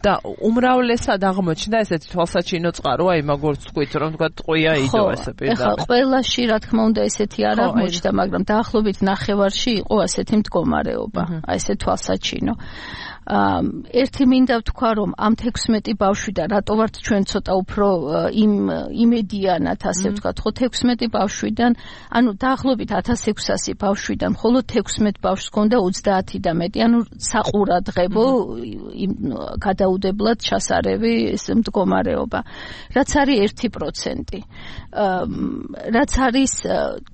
და უმრავლესად აღმოჩნდა ესეთი თვალსაჩინო წყარო, აი მაგორ თქვით, რომ თქვა ტყვია იდო ესე პირდაპირ. ხო, ყველაში რა თქმა უნდა ესეთი არ აღმოჩნდა, მაგრამ დაახლოებით ნახევარში იყო ასეთი მდგომარეობა, აი ესე თვალსაჩინო. ერთი მინდა ვთქვა, რომ ამ 16 ბავშვიდან რატო ვართ ჩვენ ცოტა უფრო იმედიანად, ასე ვთქვათ, ხო 16 ბავშვიდან, ანუ დაახლოებით 1600 ბავშვიდან მხოლოდ 16 ბავშვს ჰქონდა 30 და მეტი, ანუ საყურადღებო გადაუდებლად ჩასარევი ეს მდგომარეობა. რაც არის 1%. რაც არის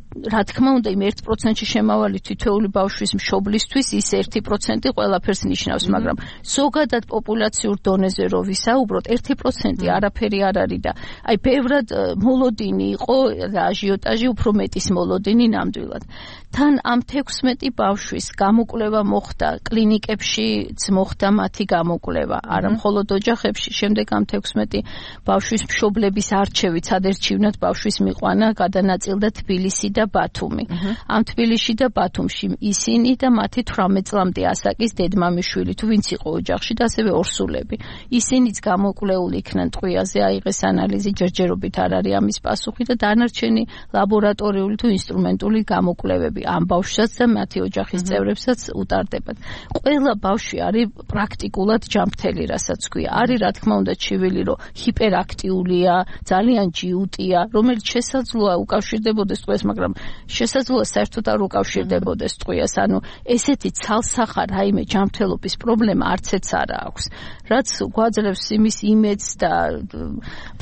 რა თქმა უნდა იმ 1%-ში შემავალი თითოეული ბავშვის მშობლისთვის ის 1% ყველაფერს ნიშნავს, მაგრამ ზოგადად პოპულაციურ დონეზე რო ვისაუბროთ, 1% არაფერი არ არის და აი ბევრად მოლოდინი იყო და აჟიოტაჟი უფრო მეტის მოლოდინი ნამდვილად. თან ამ 16 ბავშვის გამოკვლევა მოხდა კლინიკებშიც, მოხდა მათი გამოკვლევა, არა მხოლოდ ოჯახებში. შემდეგ ამ 16 ბავშვის მშობლების არჩევით, სადერჩივნად ბავშვის მიყვანა გადანაწილდა თბილისი და ბათუმი. ამ თბილისში და ბათუმში ისინი და მათი 18 წლამდე ასაკის დედმამიშვილი, თუ ვინც იყო ოჯახში და ასევე ორსულები. ისინიც გამოკვლეული იქნენ ტყვიაზე, აიღეს ანალიზი, ჯერჯერობით არ არის ამის პასუხი და დანარჩენი ლაბორატორიული თუ ინსტრუმენტული გამოკვლევები ამ ბავშვსაც და მათი ოჯახის წევრებსაც უტარდებათ. ყველა ბავშვი არის პრაქტიკულად ჯანმრთელი, რასაც ქვია. არის რა თქმა უნდა ჩივილი, რომ ჰიპერაქტიულია, ძალიან ჯიუტია, რომელიც შესაძლოა უკავშირდებოდეს ტყვეს, მაგრამ მაგრამ შესაძლოა საერთოდ არ უკავშირდებოდეს ტყვიას, ანუ ესეთი ცალსახა რაიმე ჯანმრთელობის პრობლემა არცეც არ აქვს, რაც გვაძლევს იმის იმედს და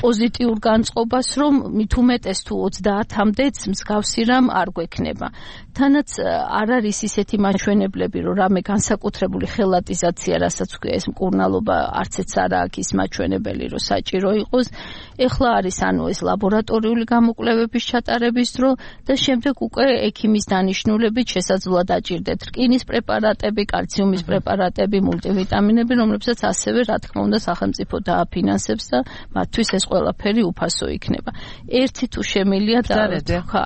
პოზიტიურ განწყობას, რომ მით უმეტეს თუ 30-მდეც მსგავსი რამ არ გვექნება. თანაც არ არის ისეთი მაჩვენებლები, რომ რამე განსაკუთრებული ხელატიზაცია, რასაც ეს მკურნალობა არცეც არ აქვს ის მაჩვენებელი, რომ საჭირო იყოს. ეხლა არის ანუ ეს ლაბორატორიული გამოკვლევების ჩატარების დრო და შემდეგ უკვე ექიმის დანიშნულებით შესაძლოა დაჭირდეთ რკინის პრეპარატები, კალციუმის პრეპარატები, მულტივიტამინები, რომლებსაც ასევე რა თქმა უნდა სახელმწიფო დააფინანსებს და მათთვის ეს ყველაფერი უფასო იქნება. ერთი თუ შემილია და ხა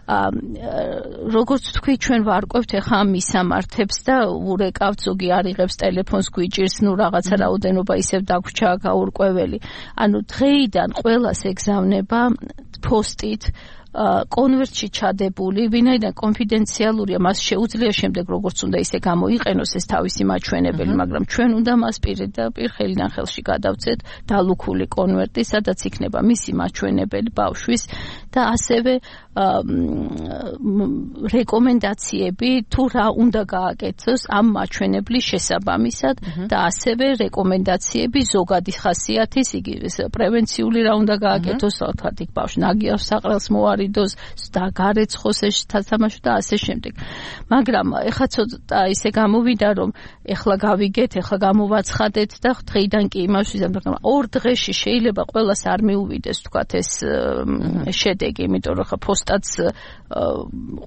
როგორც თქვი, ჩვენ ვარკვევთ ახლა ამ მისამართებს და ურეკავთ, ზოგი არიღებს ტელეფონს, გვიჭირს, ნუ რაღაცა რაოდენობა ისევ დაგვრჩა გაურკვეველი. ანუ დღეიდან ყველას ეგზავნება პოსტით კონვერტში ჩადებული, ვინაიდან კონფიდენციალურია, მას შეუძლია შემდეგ როგორც უნდა ისე გამოიყენოს ეს თავისი მაჩვენებელი, მაგრამ ჩვენ უნდა მას პირდაპირ ხელიდან ხელში გადავცეთ დალუქული კონვერტი, სადაც იქნება მისი მაჩვენებელი ბავშვის და ასევე რეკომენდაციები თუ რა უნდა გააკეთოს ამ მაჩვენებლის შესაბამისად და ასევე რეკომენდაციები ზოგადი ხასიათის, იგი პრევენციული რა უნდა გააკეთოს, თქვათ იქ ბავშვი ნაგიავს საყრელს მოარიდოს და გარეცხოს ეს თამაშო და ასე შემდეგ. მაგრამ ეხლა ცოტა ისე გამოვიდა, რომ ეხლა გავიგეთ, ეხლა გამოვაცხადეთ და დღეიდან კი იმას ვიზამ, მაგრამ ორ დღეში შეიძლება ყველას არ მიუვიდეს თქვათ ეს შედეგი, იმიტომ რომ ხა პოსტაც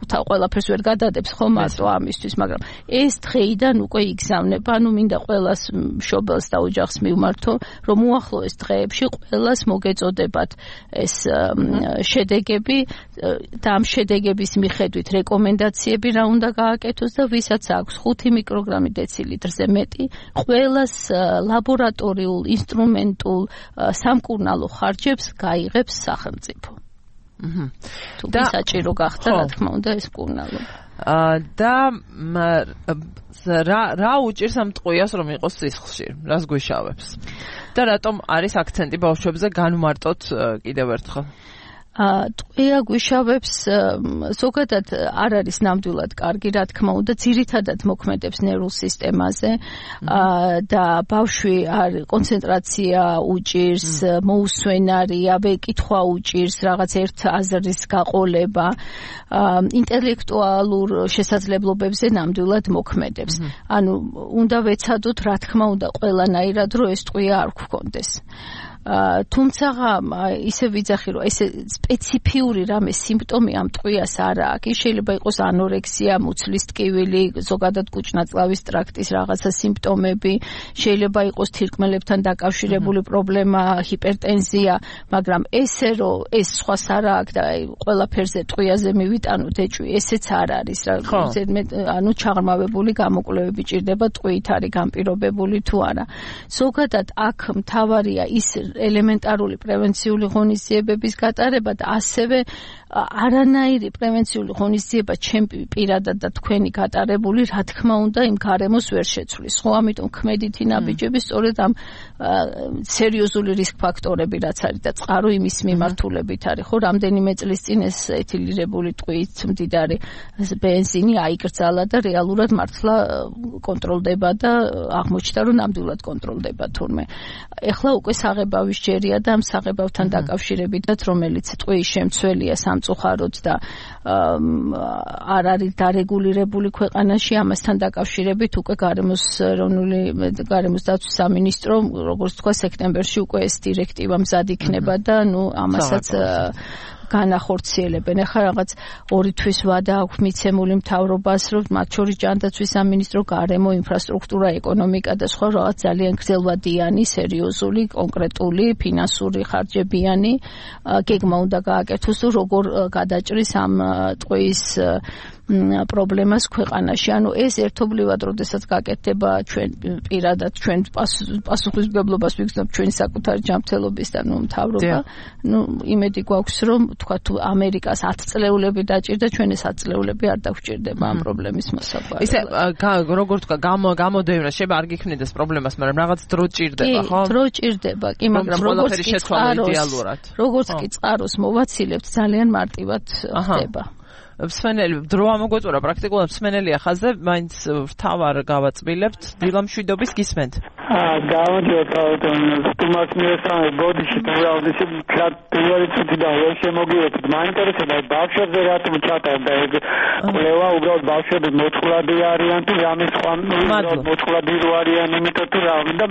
ყველაფერს ვერ გადადებს ხო მარტო ამისთვის, მაგრამ ეს დღეიდან უკვე იგზავნება, ანუ მინდა ყველას მშობელს და ოჯახს მივმართო, რომ უახლოეს დღეებში ყველას მოგეწოდებათ ეს შედეგები და ამ შედეგების მიხედვით რეკომენდაციები რა უნდა გააკეთოს და ვისაც აქვს 5 მიკროგრამი დეცილიტრზე მეტი, ყველას ლაბორატორიულ, ინსტრუმენტულ სამკურნალო ხარჯებს გაიღებს სახელმწიფო. თუ საჭირო გახდა, რა თქმა უნდა, ეს მკურნალობა. და რა უჭირს ამ ტყვიას, რომ იყოს სისხლში? რას გვიშავებს? და რატომ არის აქცენტი ბავშვებზე განმარტოთ კიდევ ერთხელ? ტყვია გვიშავებს ზოგადად არ არის ნამდვილად კარგი, რა თქმა უნდა, ძირითადად მოქმედებს ნერვულ სისტემაზე და ბავშვი კონცენტრაცია უჭირს, მოусვენარია, კითხვა უჭირს, რაღაც ერთ აზრის გაყოლება, ინტელექტუალურ შესაძლებლობებზე ნამდვილად მოქმედებს. ანუ უნდა ვეცადოთ, რა თქმა უნდა, ყველანაირად, რომ ეს ტყვია არ გქონდეს. თუმცა ისე ვიძახი, რომ ეს სპეციფიური რამე სიმპტომი ამ ტყვიას არ აქვს. შეიძლება იყოს ანორექსია, მუცლის ტკივილი, ზოგადად კუჭ-ნაწლავის ტრაქტის რაღაცა სიმპტომები, შეიძლება იყოს თირკმელებთან დაკავშირებული პრობლემა, ჰიპერტენზია, მაგრამ ესე რომ ეს სხვას არ აქვს და ყველაფერზე ტყვიაზე მივიტანოთ ეჭვი, ესეც არ არის. ანუ ჩაღრმავებული გამოკვლევები ჭირდება, ტყვიით არის განპირობებული თუ არა. ზოგადად აქ მთავარია ის ელემენტარული პრევენციული ღონისძიებების გატარება და ასევე არანაირი პრევენციული ღონისძიება ჩემი პირადად და თქვენი გატარებული, რა თქმა უნდა, იმ გარემოს ვერ შეცვლის. ხო, ამიტომ ქმედითი ნაბიჯები სწორედ ამ სერიოზული რისკ ფაქტორები რაც არის და წყარო იმის მიმართულებით არის. ხო, რამდენიმე წლის წინ ეს ეთილირებული ტყვიით მდიდარი ბენზინი აიკრძალა და რეალურად მართლა კონტროლდება და აღმოჩნდა, რომ ნამდვილად კონტროლდება თურმე. ეხლა უკვე საღებავის ჯერია და ამ საღებავთან დაკავშირებითაც, რომელიც ტყუის შემცველია სამწუხაროდ და არ არის დარეგულირებული ქვეყანაში, ამასთან დაკავშირებით უკვე გარემოს დაცვის სამინისტრო, როგორც თქვა, სექტემბერში უკვე ეს დირექტივა მზად იქნება და ამასაც განახორციელებენ. ახლა რაღაც 2 თვის ვადა აქვს მიცემული მთავრობას, რომ მათ შორის ჯანდაცვის სამინისტრო, გარემო, ინფრასტრუქტურა, ეკონომიკა და სხვა რაღაც ძალიან გრძელვადიანი, სერიოზული, კონკრეტული, ფინანსური ხარჯებიანი გეგმა უნდა გააკეთოს, როგორ გადაჭრის ამ ტყუის პრობლემას ქვეყანაში. ანუ ეს ერთობლივად, როდესაც გაკეთდება ჩვენ პირადად, ჩვენ პასუხისმგებლობას ვიგრძნობ ჩვენი საკუთარი ჯანმრთელობის და მთავრობა. იმედი გვაქვს, რომ თქვა თუ ამერიკას 10 წლეულები დაჭირდა, ჩვენ ეს 10 წლეულები არ დაგვჭირდება ამ პრობლემის მოსაგვარებლად. ისე როგორ თქვა, გამოდევნა შეიძლება არ გიქმნიდეს პრობლემას, მაგრამ რაღაც დრო ჭირდება, ხო? დრო ჭირდება, კი, მაგრამ როგორც კი წყაროს მოვაცილებთ, ძალიან მარტივად ხდება. მსმენელი დრო ამოგვეწურა პრაქტიკულად მსმენელია ხაზზე, მაინც ვთავარ გავაწმილებთ დილა მშვიდობის გისმენთ. გამოდიოთ სტუმარს მიესალმებით ბოდიში თავის პირველი წუთი და ვერ შემოგიერთეთ. მაინტერესებდა ბავშვებზე რატომ ჩატარდა ეგ კვლევა, უბრალოდ ბავშვები მოწყვლადი არიან თუ რამე სხვა მოწყვლადი რო არიან, იმიტომ თუ რა და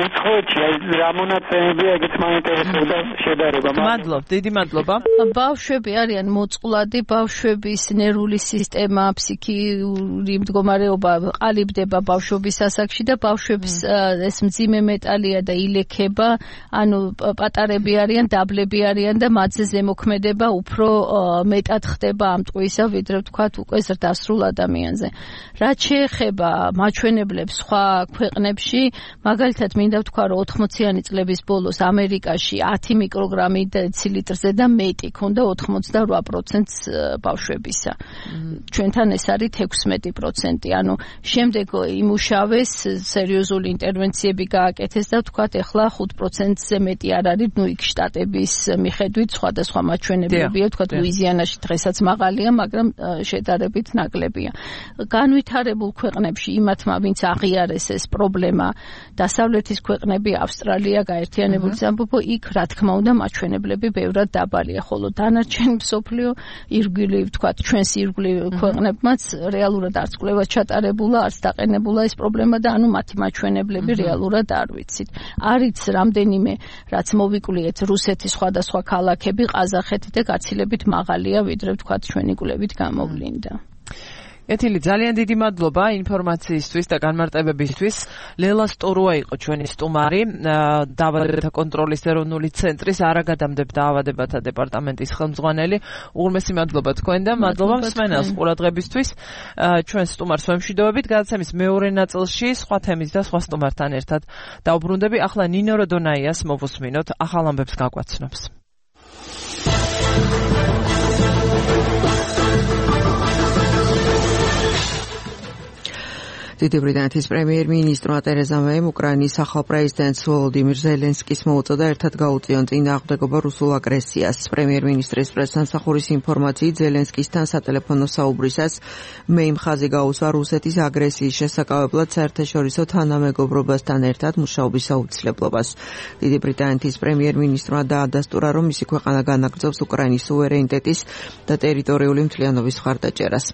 უცხოეთში რა მონაცემებია ეგეც მაინტერესებდა შედარება. მადლობ, დიდი მადლობა. ბავშვები არიან მოწყვლადი, ბავშვების ნერვული სისტემა, ფსიქიური მდგომარეობა ყალიბდება ბავშვობის ასაკში და ბავშვებს ეს მძიმე მეტალია და ილექება, ანუ პატარები არიან, დაბლები არიან და მათზე ზემოქმედება უფრო მეტად ხდება ამ ტყვისა, ვიდრე ვთქვათ უკვე ზრდასრულ ადამიანზე. რაც შეეხება მაჩვენებლებს სხვა ქვეყნებში, მაგალითად მინდა ვთქვა, რომ 80-იანი წლების ბოლოს ამერიკაში 10 მიკროგრამი დეცილიტრზე და მეტი ქონდა 88%-ს ბავშვებისა. ჩვენთან ეს არის 16%, ანუ შემდეგ იმუშავეს სერიოზული ინტერვენციები გააკეთეს და ვთქვათ, ეხლა 5%-ზე მეტი არ არის, იქ შტატების მიხედვით სხვადასხვა მაჩვენებლებია, ვთქვათ, ლუიზიანაში დღესაც მაღალია, მაგრამ შედარებით ნაკლებია. განვითარებულ ქვეყნებში იმათმა, ვინც აღიარეს ეს პრობლემა, დასავლეთის ქვეყნები, ავსტრალია, გაერთიანებული სამეფო, იქ რა თქმა უნდა მაჩვენებლები ბევრად დაბალია, ხოლო დანარჩენ მსოფლიო ირგვლივ, ვთქვათ, ჩვენს ირგვლივ ქვეყნებმაც რეალურად არც კვლევა ჩატარებულა, არც დაყენებულა ეს პრობლემა და ანუ მათი მაჩვენებლები რეალურად არ ვიცით. არის რამდენიმე, რაც მოვიკვლიეთ, რუსეთის სხვადასხვა ქალაქები, ყაზახეთი და გაცილებით მაღალია, ვიდრე ვთქვათ, ჩვენი კვლევით გამოვლინდა. ეთილი, ძალიან დიდი მადლობა ინფორმაციისთვის და განმარტებებისთვის. ლელა სტორუა იყო ჩვენი სტუმარი, დაავადებათა კონტროლის ეროვნული ცენტრის არაგადამდებ დაავადებათა დეპარტამენტის ხელმძღვანელი. უღრმესი მადლობა თქვენ და მადლობა მსმენელს ყურადღებისთვის. ჩვენ სტუმარს ვემშვიდობებით. გადაცემის მეორე ნაწილში სხვა თემის და სხვა სტუმართან ერთად დავბრუნდები. ახლა ნინო როდონაიას მოვუსმინოთ, ახალ ამბებს გაგვაცნობს. დიდი ბრიტანეთის პრემიერ-მინისტრმა ტერეზა მეიმ უკრაინის ახალ პრეზიდენტს ვოლოდიმირ ზელენსკის მოუწოდა ერთად გაუწიონ წინააღმდეგობა რუსულ აგრესიას. პრემიერ-მინისტრის პრესსამსახურის ინფორმაციით, ზელენსკისთან სატელეფონო საუბრისას მეიმ ხაზი გაუსვა რუსეთის აგრესიის შესაკავებლად საერთაშორისო თანამეგობრობასთან ერთად მუშაობის აუცილებლობას. დიდი ბრიტანეთის პრემიერ-მინისტრმა დაადასტურა, რომ მისი ქვეყანა განაგრძობს უკრაინის სუვერენიტეტის და ტერიტორიული მთლიანობის მხარდაჭერას.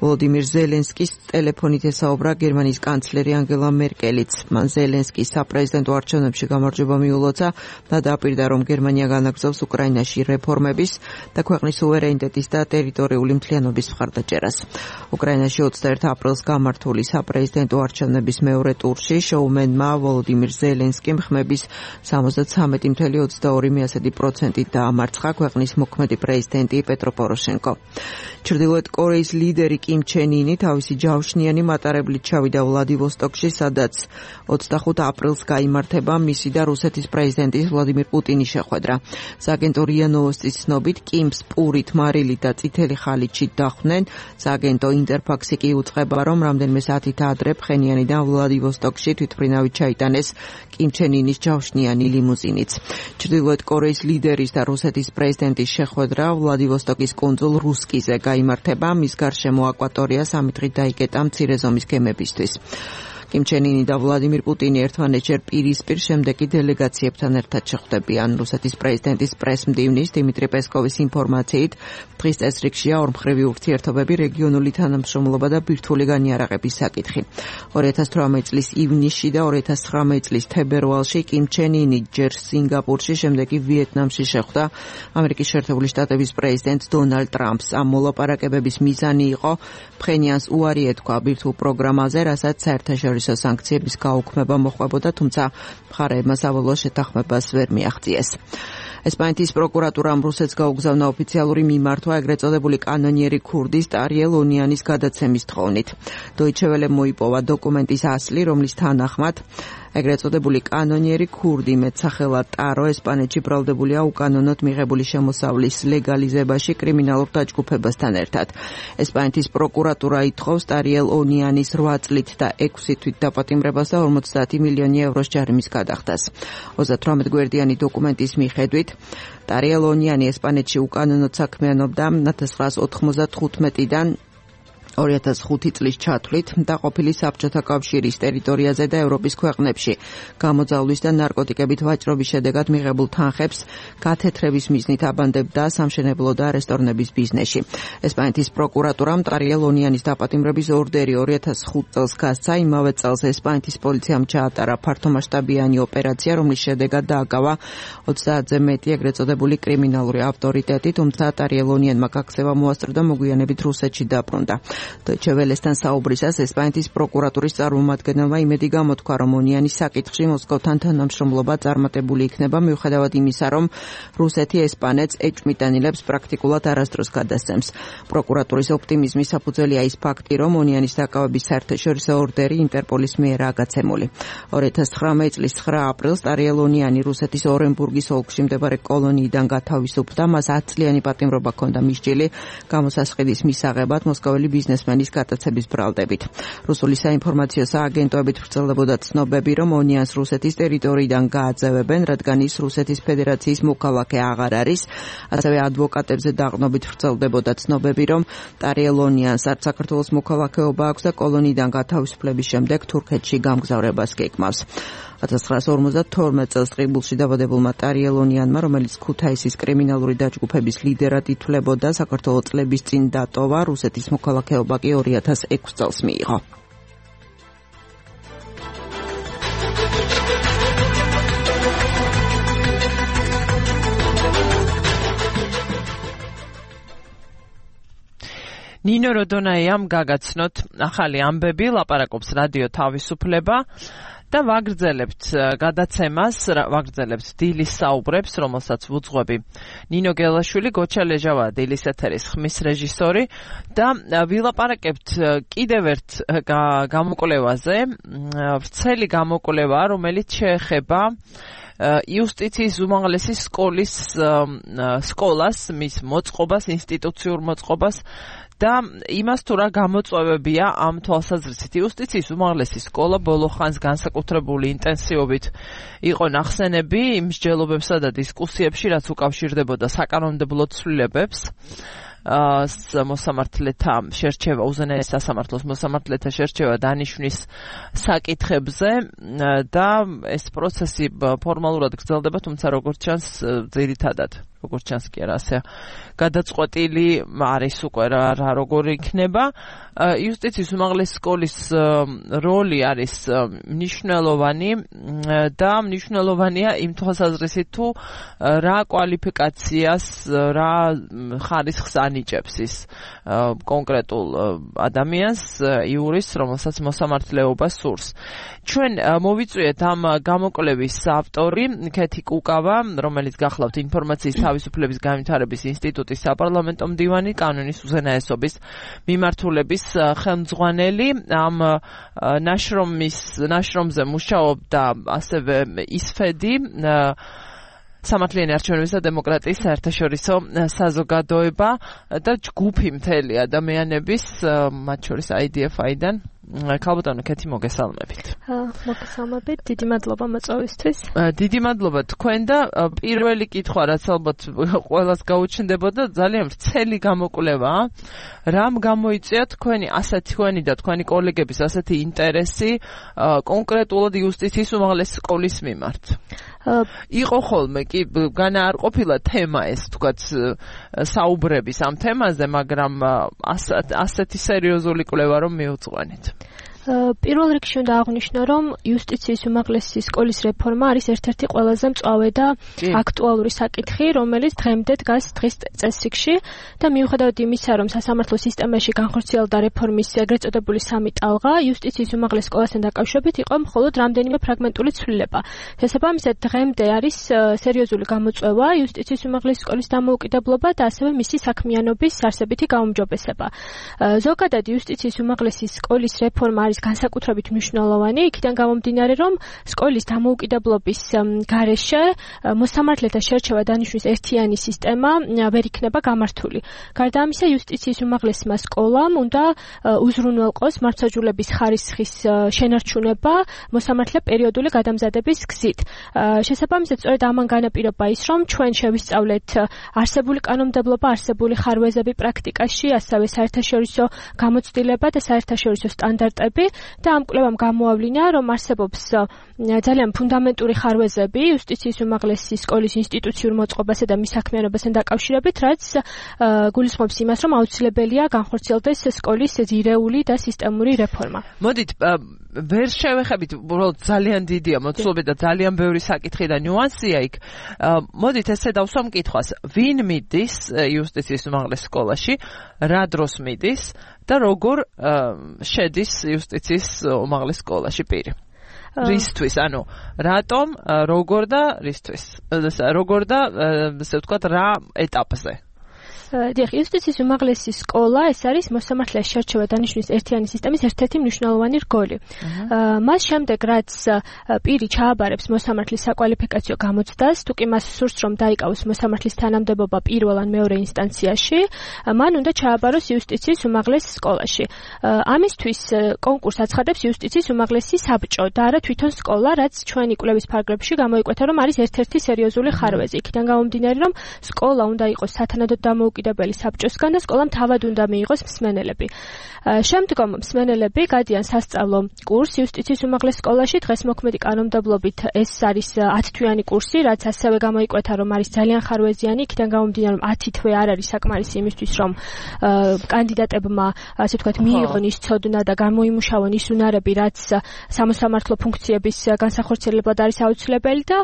ვოლოდიმირ ზელენსკის ტელეფონით ესაუბრა გერმანიის კანცლერი ანგელა მერკელიც. მან ზელენსკის საპრეზიდენტო არჩევნებში გამარჯვება მიულოცა და დააპირდა, რომ გერმანია განაგრძობს უკრაინაში რეფორმების და ქვეყნის სუვერენიტეტის და ტერიტორიული მთლიანობის მხარდაჭერას. უკრაინაში 21 აპრილს გამართული საპრეზიდენტო არჩევნების მეორე ტურში შოუმენმა ვოლოდიმირ ზელენსკიმ ხმების 73.22% დაამარცხა ქვეყნის მოქმედი პრეზიდენტი პეტრო პოროშენკო. ჩრდილოეთ კორეის ლიდერი კიმ ჩენ ინი თავისი ჯავშნიანი მატარებლით ჩავიდა ვლადივოსტოკში, სადაც 25 აპრილს გაიმართება მისი და რუსეთის პრეზიდენტის ვლადიმირ პუტინის შეხვედრა. სააგენტო რია ნოვოსტის ცნობით, კიმს პურით, მარილით და წითელი ხალიჩით დახვდნენ. სააგენტო ინტერფაქსი კი უწყება, რომ რამდენიმე საათით ადრე ფხენიანიდან ვლადივოსტოკში თვითმფრინავით ჩაიტანეს კიმ ჩენ ინის ჯავშნიანი ლიმუზინიც. ჩრდილოეთ კორეის ლიდერის და რუსეთის პრეზიდენტის შეხვედრა ვლადივოსტოკის კუნძულ რუსკიზე გაიმართება. მის გარშემო აკვატორია 3 დღით დაიკეტა მცირე ზომის გემებისთვის. კიმ ჩენ ინი და ვლადიმირ პუტინი ერთმანეთშერ პირისპირ შემდეგი დელეგაციებთან ერთად შეხვდებიან. რუსეთის პრეზიდენტის პრესმდივნის დიმიტრი პესკოვის ინფორმაციით, დღის წესრიგშია ორმხრივი ურთიერთობები, რეგიონული თანამშრომლობა და ბირთვული განიარაღების საკითხი. 2018 წლის ივნისში და 2019 წლის თებერვალში კიმ ჩენ ინი ჯერ სინგაპურში, შემდეგ კი ვიეტნამში შეხვდა ამერიკის შეერთებული შტატების პრეზიდენტ დონალდ ტრამპს. ამ მოლაპარაკებების მიზანი იყო ფხენიანს უარი ეთქვა ბირთვულ პროგრამაზე, რასაც საერთაშორისო სანქციების გაუქმება მოხდებოდა, თუმცა მხარეებმა საბოლოო შეთანხმებას ვერ მიაღწიეს. ესპანეთის პროკურატურამ რუსეთს გაუგზავნა ოფიციალური მიმართვა ეგრეთ წოდებული კანონიერი ქურდის ტარიელ ონიანის გადაცემის თხოვნით. დოიჩე ველემ მოიპოვა დოკუმენტის ასლი, რომლის თანახმად ეგრეთ წოდებული კანონიერი ქურდი მეტსახელად ტარო ესპანეთში ბრალდებულია უკანონოდ მიღებული შემოსავლის ლეგალიზებაში კრიმინალურ დაჯგუფებასთან ერთად. ესპანეთის პროკურატურა ითხოვს ტარიელ ონიანის 8 წლით და 6 თვით დაპატიმრებას და 50 მილიონი ევროს ჯარიმის გადახდას. 38 გვერდიანი დოკუმენტის მიხედვით ტარიელ ონიანი ესპანეთში უკანონოდ საქმიანობდა 1995-დან 2005 წლის ჩათვლით და ყოფილი საბჭოთა კავშირის ტერიტორიაზე და ევროპის ქვეყნებში გამოძალვის და ნარკოტიკებით ვაჭრობის შედეგად მიღებულ თანხებს გათეთრების მიზნით აბანდებდა სამშენებლო და რესტორნების ბიზნესში. ესპანეთის პროკურატურამ ტარიელ ონიანის დაპატიმრების ორდერი 2005 წელს გასცა. იმავე წელს ესპანეთის პოლიციამ ჩაატარა ფართომასშტაბიანი ოპერაცია, რომლის შედეგად დააკავა 30-ზე მეტი ეგრეთ წოდებული კრიმინალური ავტორიტეტი, თუმცა ტარიელ ონიანმა გაქცევა მოასწრო და მოგვიანებით რუსეთში დაბრუნდა. Deutsche Welle-სთან საუბრისას ესპანეთის პროკურატურის წარმომადგენელმა იმედი გამოთქვა, რომ ონიანის საკითხში მოსკოვთან თანამშრომლობა წარმატებული იქნება, მიუხედავად იმისა, რომ რუსეთი ესპანეთს ეჭვმიტანილებს პრაქტიკულად არასდროს გადასცემს. პროკურატურის ოპტიმიზმის საფუძველია ის ფაქტი, რომ ონიანის დაკავების საერთაშორისო ორდერი ინტერპოლის მიერაა გაცემული. 2019 წლის 9 აპრილს ტარიელ ონიანი რუსეთის ორენბურგის ოლქში მდებარე კოლონიიდან გათავისუფლდა. მას 10 წლიანი პატიმრობა ჰქონდა მისჯილი გამოსასყიდის მისაღებად მოსკოველი ბიზნესმენის გადაცემის ბრალდებით. რუსული საინფორმაციო სააგენტოებით ვრცელდებოდა ცნობები, რომ ონიანს რუსეთის ტერიტორიიდან გააძევებენ, რადგან ის რუსეთის ფედერაციის მოქალაქე აღარ არის. ასევე ადვოკატებზე დაყრდნობით ვრცელდებოდა ცნობები, რომ ტარიელ ონიანს არც საქართველოს მოქალაქეობა აქვს და კოლონიიდან გათავისუფლების შემდეგ თურქეთში გამგზავრებას გეკმავს. 1952 წელს ტყიბულში დაბადებულმა ტარიელ ონიანმა, რომელიც ქუთაისის კრიმინალური დაჯგუფების ლიდერად ითვლებოდა, საქართველოს წლების წინ დატოვა, რუსეთის მოქალაქეობა კი 2006 წელს მიიღო. ნინო როდონაიამ გაგაცნოთ ახალი ამბები, ლაპარაკობს რადიო თავისუფლება და ვაგრძელებთ გადაცემას, ვაგრძელებთ დილის საუბრებს, რომელსაც ვუძღვები ნინო გელაშვილი, გოჩა ლეჟავა დილის ეთერის ხმის რეჟისორი და ვილაპარაკებთ კიდევ ერთ გამოკვლევაზე, ვრცელი გამოკვლევა, რომელიც შეეხება იუსტიციის უმაღლესი სკოლას, მის მოწყობას, ინსტიტუციურ მოწყობას და იმას თუ რა გამოწვევებია ამ თვალსაზრისით. იუსტიციის უმაღლესი სკოლა ბოლო ხანს განსაკუთრებული ინტენსივობით იყო ნახსენები იმ მსჯელობებსა და დისკუსიებში, რაც უკავშირდებოდა საკანონმდებლო ცვლილებებს, მოსამართლეთა შერჩევა, უზენაეს სასამართლოს მოსამართლეთა შერჩევა დანიშვნის საკითხებზე და ეს პროცესი ფორმალურად გრძელდება, თუმცა როგორც ჩანს ძირითადად როგორც ჩანს კი არა ასე გადაწყვეტილი არის უკვე რა როგორი იქნება. იუსტიციის უმაღლესი სკოლის როლი არის მნიშვნელოვანი და მნიშვნელოვანია იმ თვალსაზრისით თუ რა კვალიფიკაციას, რა ხარისხს ანიჭებს ის კონკრეტულ ადამიანს, იურის, რომელსაც მოსამართლეობა სურს. ჩვენ მოვიწვიეთ ამ გამოკვლევის ავტორი ქეთი კუკავა, რომელიც გახლავთ ინფორმაციის თავისუფლების განვითარების ინსტიტუტის საპარლამენტო მდივანი, კანონის უზენაესობის მიმართულების ხელმძღვანელი. ამ ნაშრომზე მუშაობდა ასევე ისფედი, სამართლიანი არჩევნების და დემოკრატიის საერთაშორისო საზოგადოება და ჯგუფი მთელი ადამიანების, მათ შორის IDF-დან. ქალბატონო ქეთი, მოგესალმებით. მოგესალმებით, დიდი მადლობა მოწვევისთვის. დიდი მადლობა თქვენ და პირველი კითხვა, რაც ალბათ ყველას გაუჩნდებოდა, ძალიან ვრცელი გამოკვლევა. რამ გამოიწვია თქვენი და თქვენი კოლეგების ასეთი ინტერესი კონკრეტულად იუსტიციის უმაღლესი სკოლის მიმართ? იყო ხოლმე კი განა არ ყოფილა თემა ეს, თქვათ, საუბრების ამ თემაზე, მაგრამ ასეთი სერიოზული კვლევა რომ მიუძღვენით. პირველ რიგში უნდა აღვნიშნო, რომ იუსტიციის უმაღლესი სკოლის რეფორმა არის ერთ-ერთი ყველაზე მწვავე და აქტუალური საკითხი, რომელიც დღემდე დგას დღის წესრიგში და მიუხედავად იმისა, რომ სასამართლო სისტემაში განხორციელდა რეფორმის ეგრეთ წოდებული სამი ტალღა, იუსტიციის უმაღლეს სკოლასთან დაკავშირებით იყო მხოლოდ რამდენიმე ფრაგმენტული ცვლილება. შესაბამისად, დღემდე არის სერიოზული გამოწვევა იუსტიციის უმაღლესი სკოლის დამოუკიდებლობა და ასევე მისი საქმიანობის არსებითი გაუმჯობესება. ზოგადად იუსტიციის უმაღლესი სკოლის რეფორმა არის განსაკუთრებით მნიშვნელოვანი, იქიდან გამომდინარე, რომ სკოლის დამოუკიდებლობის გარეშე მოსამართლეთა შერჩევა დანიშვნის ერთიანი სისტემა ვერ იქნება გამართული. გარდა ამისა, იუსტიციის უმაღლესმა სკოლამ უნდა უზრუნველყოს მართლმსაჯულების ხარისხის შენარჩუნება მოსამართლე პერიოდული გადამზადების გზით. შესაბამისად, სწორედ ამან განაპირობა ის, რომ ჩვენ შევისწავლეთ არსებული კანონმდებლობა, არსებული ხარვეზები პრაქტიკაში, ასევე საერთაშორისო გამოცდილება და საერთაშორისო სტანდარტები და ამ კვლევამ გამოავლინა, რომ არსებობს ძალიან ფუნდამენტური ხარვეზები იუსტიციის უმაღლესი სკოლის ინსტიტუციურ მოწყობასა და მის საქმიანობასთან დაკავშირებით, რაც გულისხმობს იმას, რომ აუცილებელია განხორციელდეს სკოლის ძირეული და სისტემური რეფორმა. მოდით ვერ შევეხებით, უბრალოდ ძალიან დიდია მოცულობა და ძალიან ბევრი საკითხი და ნიუანსია იქ. მოდით ესე დავსვამ კითხვას, ვინ მიდის იუსტიციის უმაღლეს სკოლაში, რა დროს მიდის და როგორ შედის იუსტიციის უმაღლეს სკოლაში პირი? რისთვის, ანუ რატომ, როგორ და რისთვის? როგორ და ესე ვთქვათ, რა ეტაპზე? დიახ, იუსტიციის უმაღლესი სკოლა ეს არის მოსამართლეს შერჩევა დანიშვნის ერთიანი სისტემის ერთ-ერთი მნიშვნელოვანი რგოლი. მას შემდეგ, რაც პირი ჩააბარებს მოსამართლის საკვალიფიკაციო გამოცდას, თუ კი მას სურს, რომ დაიკავოს მოსამართლის თანამდებობა პირველ ან მეორე ინსტანციაში, მან უნდა ჩააბაროს იუსტიციის უმაღლეს სკოლაში. ამისთვის კონკურსს აცხადებს იუსტიციის უმაღლესი საბჭო და არა თვითონ სკოლა, რაც ჩვენი კვლევის ფარგლებში გამოიკვეთა, რომ არის ერთ-ერთი სერიოზული ხარვეზი. იქიდან გამომდინარე, რომ სკოლა უნდა იყოს სათანადოდ დამოუკიდებელი საბჭოსგან და სკოლამ თავად უნდა მიიღოს მსმენელები. შემდგომ მსმენელები გადიან სასწავლო კურსს იუსტიციის უმაღლეს სკოლაში. დღეს მოქმედი კანონმდებლობით ეს არის 10 თვიანი კურსი, რაც ასევე გამოიკვეთა, რომ არის ძალიან ხარვეზიანი. იქიდან გამომდინარე, რომ 10 თვე არ არის საკმარისი იმისთვის, რომ კანდიდატებმა, ასე ვთქვათ, მიიღონ ის ცოდნა და გამოიმუშავონ ის უნარები, რაც სამოსამართლო ფუნქციების განსახორციელებლად არის აუცილებელი და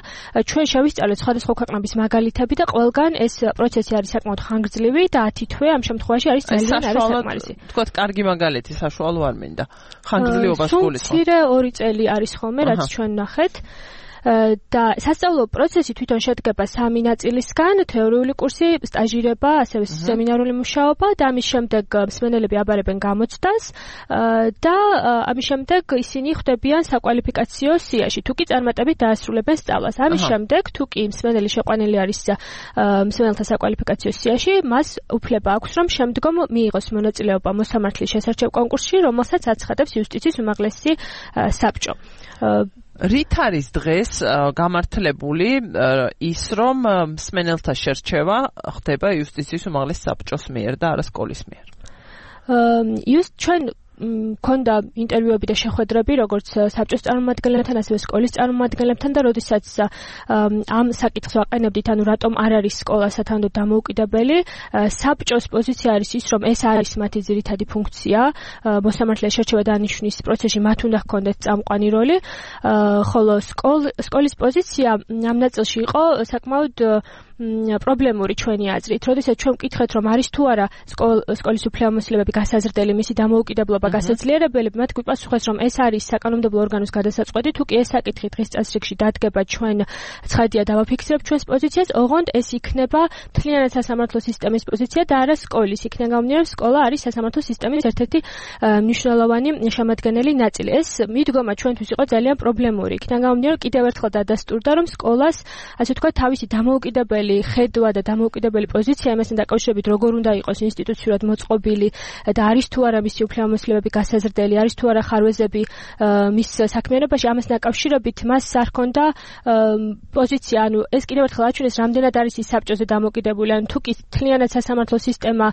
ჩვენ შევისწავლეთ სხვადასხვა ქვეყნების მაგალითები და ყველგან ეს პროცესი არის საკმაოდ ხანგრძლივი და 10 თვე ამ შემთხვევაში არის ძალიან არასაკმარისი. თქვათ, კარგი მაგალითი საშუალო არ მინდა. ხანგრძლივობას გულისხმობ. მცირე 2 წელი არის ხოლმე, რაც ჩვენ ნახეთ. და სასწავლო პროცესი თვითონ შედგება 3 ნაწილისგან: თეორიული კურსი, სტაჟირება, ასევე სემინარული მუშაობა და ამის შემდეგ მსმენელები აბარებენ გამოცდას და ამის შემდეგ ისინი ხვდებიან საკვალიფიკაციო სიაში, თუ კი წარმატებით დაასრულებენ სწავლას. ამის შემდეგ, თუ კი მსმენელი შეყვანილი არის მსმენელთა საკვალიფიკაციო სიაში, მას უფლება აქვს, რომ შემდგომ მიიღოს მონაწილეობა მოსამართლის შესარჩევ კონკურსში, რომელსაც აცხადებს იუსტიციის უმაღლესი საბჭო. რით არის დღეს გამართლებული ის, რომ მსმენელთა შერჩევა ხდება იუსტიციის უმაღლეს საბჭოს მიერ და არა სკოლის მიერ? ჩვენ მქონდა ინტერვიუები და შეხვედრები როგორც საბჭოს წარმომადგენლებთან, ასევე სკოლის წარმომადგენლებთან და როდესაც ამ საკითხს ვაყენებდით, ანუ რატომ არ არის სკოლა სათანადოდ დამოუკიდებელი, საბჭოს პოზიცია არის ის, რომ ეს არის მათი ძირითადი ფუნქცია, მოსამართლეს შერჩევა დანიშვნის პროცესში მათ უნდა ჰქონდეთ წამყვანი როლი, ხოლო სკოლის პოზიცია ამ ნაწილში იყო საკმაოდ პრობლემური ჩვენი აზრით. როდესაც ჩვენ ვკითხეთ, რომ არის თუ არა სკოლის უფლებამოსილებები გასაზრდელი, მისი დამოუკიდებლობა გასაძლიერებელი, მათ გვიპასუხეს, რომ ეს არის საკანონმდებლო ორგანოს გადასაწყვეტი, თუ კი ეს საკითხი დღის წესრიგში დადგება, ჩვენ ცხადია დავაფიქსირებთ ჩვენს პოზიციას, ოღონდ ეს იქნება მთლიანად სასამართლო სისტემის პოზიცია და არა სკოლის. იქიდან გამომდინარე, სკოლა არის სასამართლო სისტემის ერთ-ერთი მნიშვნელოვანი შემადგენელი ნაწილი. ეს მიდგომა ჩვენთვის იყო ძალიან პრობლემური. იქიდან გამომდინარე, კიდევ ერთხელ დადასტურდა, რომ სკოლას, ასე ვთქვათ, თავისი დამოუკიდებელი ხედვა და დამოუკიდებელი პოზიცია იმასთან დაკავშირებით, როგორ უნდა იყოს ინსტიტუციურად მოწყობილი და არის თუ არა მისი უფლებამოსილებები გასაზრდელი, არის თუ არა ხარვეზები მის საქმიანობაში, ამასთან დაკავშირებით მას არ ჰქონდა პოზიცია. ანუ ეს კიდევ ერთხელ აჩვენეს, რამდენად არის ის საბჭოზე დამოკიდებული. ანუ თუ კი მთლიანად სასამართლო სისტემა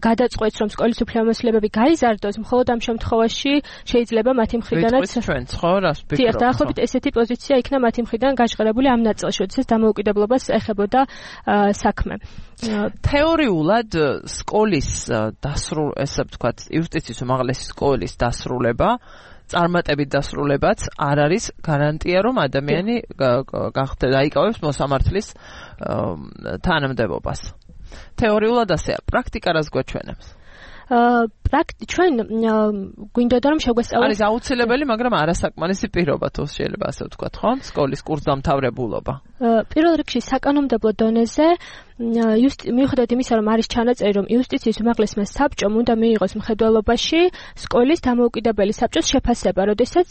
გადაწყვეტს, რომ სკოლის უფლებამოსილებები გაიზარდოს, მხოლოდ ამ შემთხვევაში შეიძლება მათი მხრიდანაც ჩვენც ხო რას ვფიქრობთ? დიახ, დაახლოებით ესეთი პოზიცია იქნა მათი მხრიდან გაჟღერებული ამ ნაწილში, როდესაც დამოუკიდებლობას ეხებოდა საქმე. თეორიულად სკოლის ესე ვთქვათ, იუსტიციის უმაღლესი სკოლის დასრულება, წარმატებით დასრულებაც არ არის გარანტია, რომ ადამიანი დაიკავებს მოსამართლის თანამდებობას. თეორიულად ასეა, პრაქტიკა რას გვაჩვენებს? ჩვენ გვინდოდა რომ შეგვესწავლოს. არის აუცილებელი, მაგრამ არასაკმარისი პირობა, თუ შეიძლება ასე ვთქვათ, ხო? სკოლის კურსდამთავრებულობა. პირველ რიგში საკანონმდებლო დონეზე მიუხედავად იმისა, რომ არის ჩანაწერი, რომ იუსტიციის უმაღლესმა საბჭომ უნდა მიიღოს მხედველობაში სკოლის დამოუკიდებელი საბჭოს შეფასება, როდესაც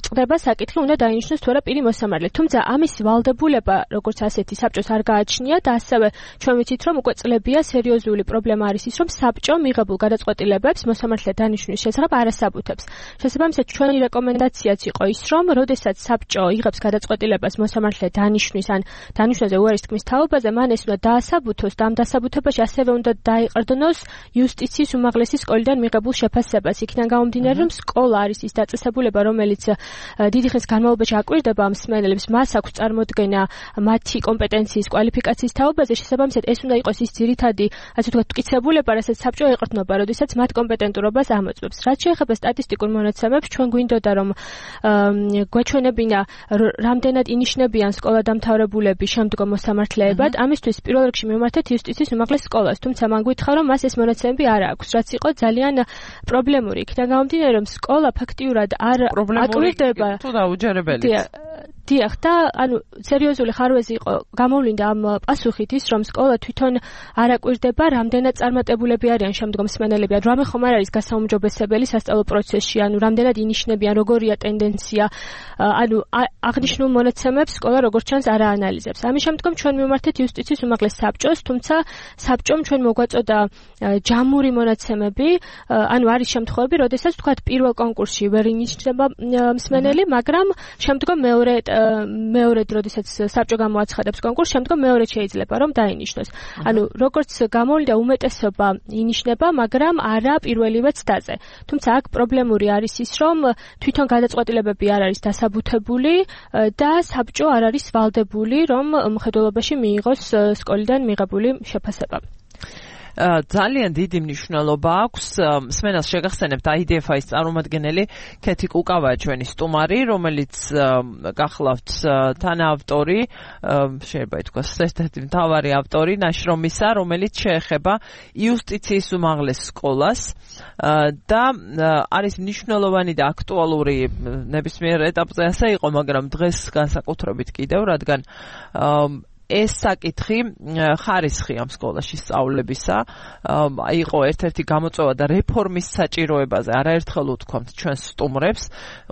წყდება საკითხი, უნდა დაინიშნოს თუ არა პირი მოსამართლე. თუმცა ამის ვალდებულება, როგორც ასეთი საბჭოს არ გააჩნია და ასევე ჩვენ ვიცით, რომ უკვე წლებია სერიოზული პრობლემა არის ის, რომ საბჭომ მიღებულ გადაწყვეტილებებს მოსამართლე დანიშნვის შესახებ არ ასაბუთებს. შესაბამისად, ჩვენი რეკომენდაციაც იყო ის, რომ როდესაც საბჭო იღებს გადაწყვეტილებას მოსამართლე დანიშნვის ან დანიშნვაზე უარის თქმის თაობაზე, მან ეს უნდა დაასაბუთოს და ამ დასაბუთებაში ასევე უნდა დაიყრდნოს იუსტიციის უმაღლესი სკოლიდან მიღებულ შეფასებას. იქიდან გამომდინარე, რომ სკოლა არის ის დაწესებულება, რომელიც დიდი ხნის განმავლობაში აკვირდება ამ მსმენელებს, მას აქვს წარმოდგენა მათი კომპეტენციის, კვალიფიკაციის თაობაზე, შესაბამისად ეს უნდა იყოს ის ძირითადი, ასე ვთქვათ, მტკიცებულება, რასაც საბჭო ეყრდნობა, როდესაც მათ კომპეტენტურობას ამოწმებს. რაც შეეხება სტატისტიკურ მონაცემებს, ჩვენ გვინდოდა რომ გვეჩვენებინა რამდენად ინიშნებიან სკოლადამთავრებულები შემდგომ მოსამართლეებად. ამისთვის პირველ რიგში მივმართეთ იუსტიციის უმაღლეს სკოლას, თუმცა მან გითხრა, რომ მას ეს მონაცემები არ აქვს, რაც იყო ძალიან პრობლემური. იქიდან გამომდინარე, რომ სკოლა ფაქტიურად არ აკვირდება თუ დაუჯერებელიც. დიახ, და ანუ სერიოზული ხარვეზი იყო გამოვლინდა ამ პასუხით ის, რომ სკოლა თვითონ არ აკვირდება, რამდენად წარმატებულები არიან შემდგომ მსმენელები, ანუ რამე ხომ არ არის გასაუმჯობესებელი სასწავლო პროცესში, ანუ რამდენად ინიშნებიან, როგორია ტენდენცია, ანუ აღნიშნულ მონაცემებს სკოლა როგორც ჩანს არ აანალიზებს. ამის შემდგომ ჩვენ მივმართეთ იუსტიციის უმაღლეს საბჭოს, თუმცა საბჭომ ჩვენ მოგვაწოდა ჯამური მონაცემები, ანუ არის შემთხვევები, როდესაც თქვათ პირველ კონკურსში ვერ ინიშნება მსმენელი, მაგრამ შემდგომ მეორედ როდესაც საბჭო გამოაცხადებს კონკურსს, შემდგომ მეორედ შეიძლება რომ დაინიშნოს. ანუ როგორც გამოვლინდა უმეტესობა ინიშნება, მაგრამ არა პირველივე ცდაზე. თუმცა აქ პრობლემური არის ის, რომ თვითონ გადაწყვეტილებები არ არის დასაბუთებული და საბჭო არ არის ვალდებული, რომ მხედველობაში მიიღოს სკოლიდან მიღებული შეფასება. ძალიან დიდი მნიშვნელობა აქვს მსმენელს შეგახსენებთ IDFI-ის წარმომადგენელი ქეთი კუკავაა ჩვენი სტუმარი, რომელიც გახლავთ თანაავტორი, შეიძლება ითქვას ერთ-ერთი მთავარი ავტორი ნაშრომისა, რომელიც შეეხება იუსტიციის უმაღლეს სკოლას და არის მნიშვნელოვანი და აქტუალური ნებისმიერ ეტაპზე ასე იყო, მაგრამ დღეს განსაკუთრებით კიდევ, რადგან ეს საკითხი ხარისხი ამ სკოლაში სწავლებისა იყო ერთ-ერთი გამოწვევა და რეფორმის საჭიროებაზე არაერთხელ ვთქვამთ ჩვენს სტუმრებს,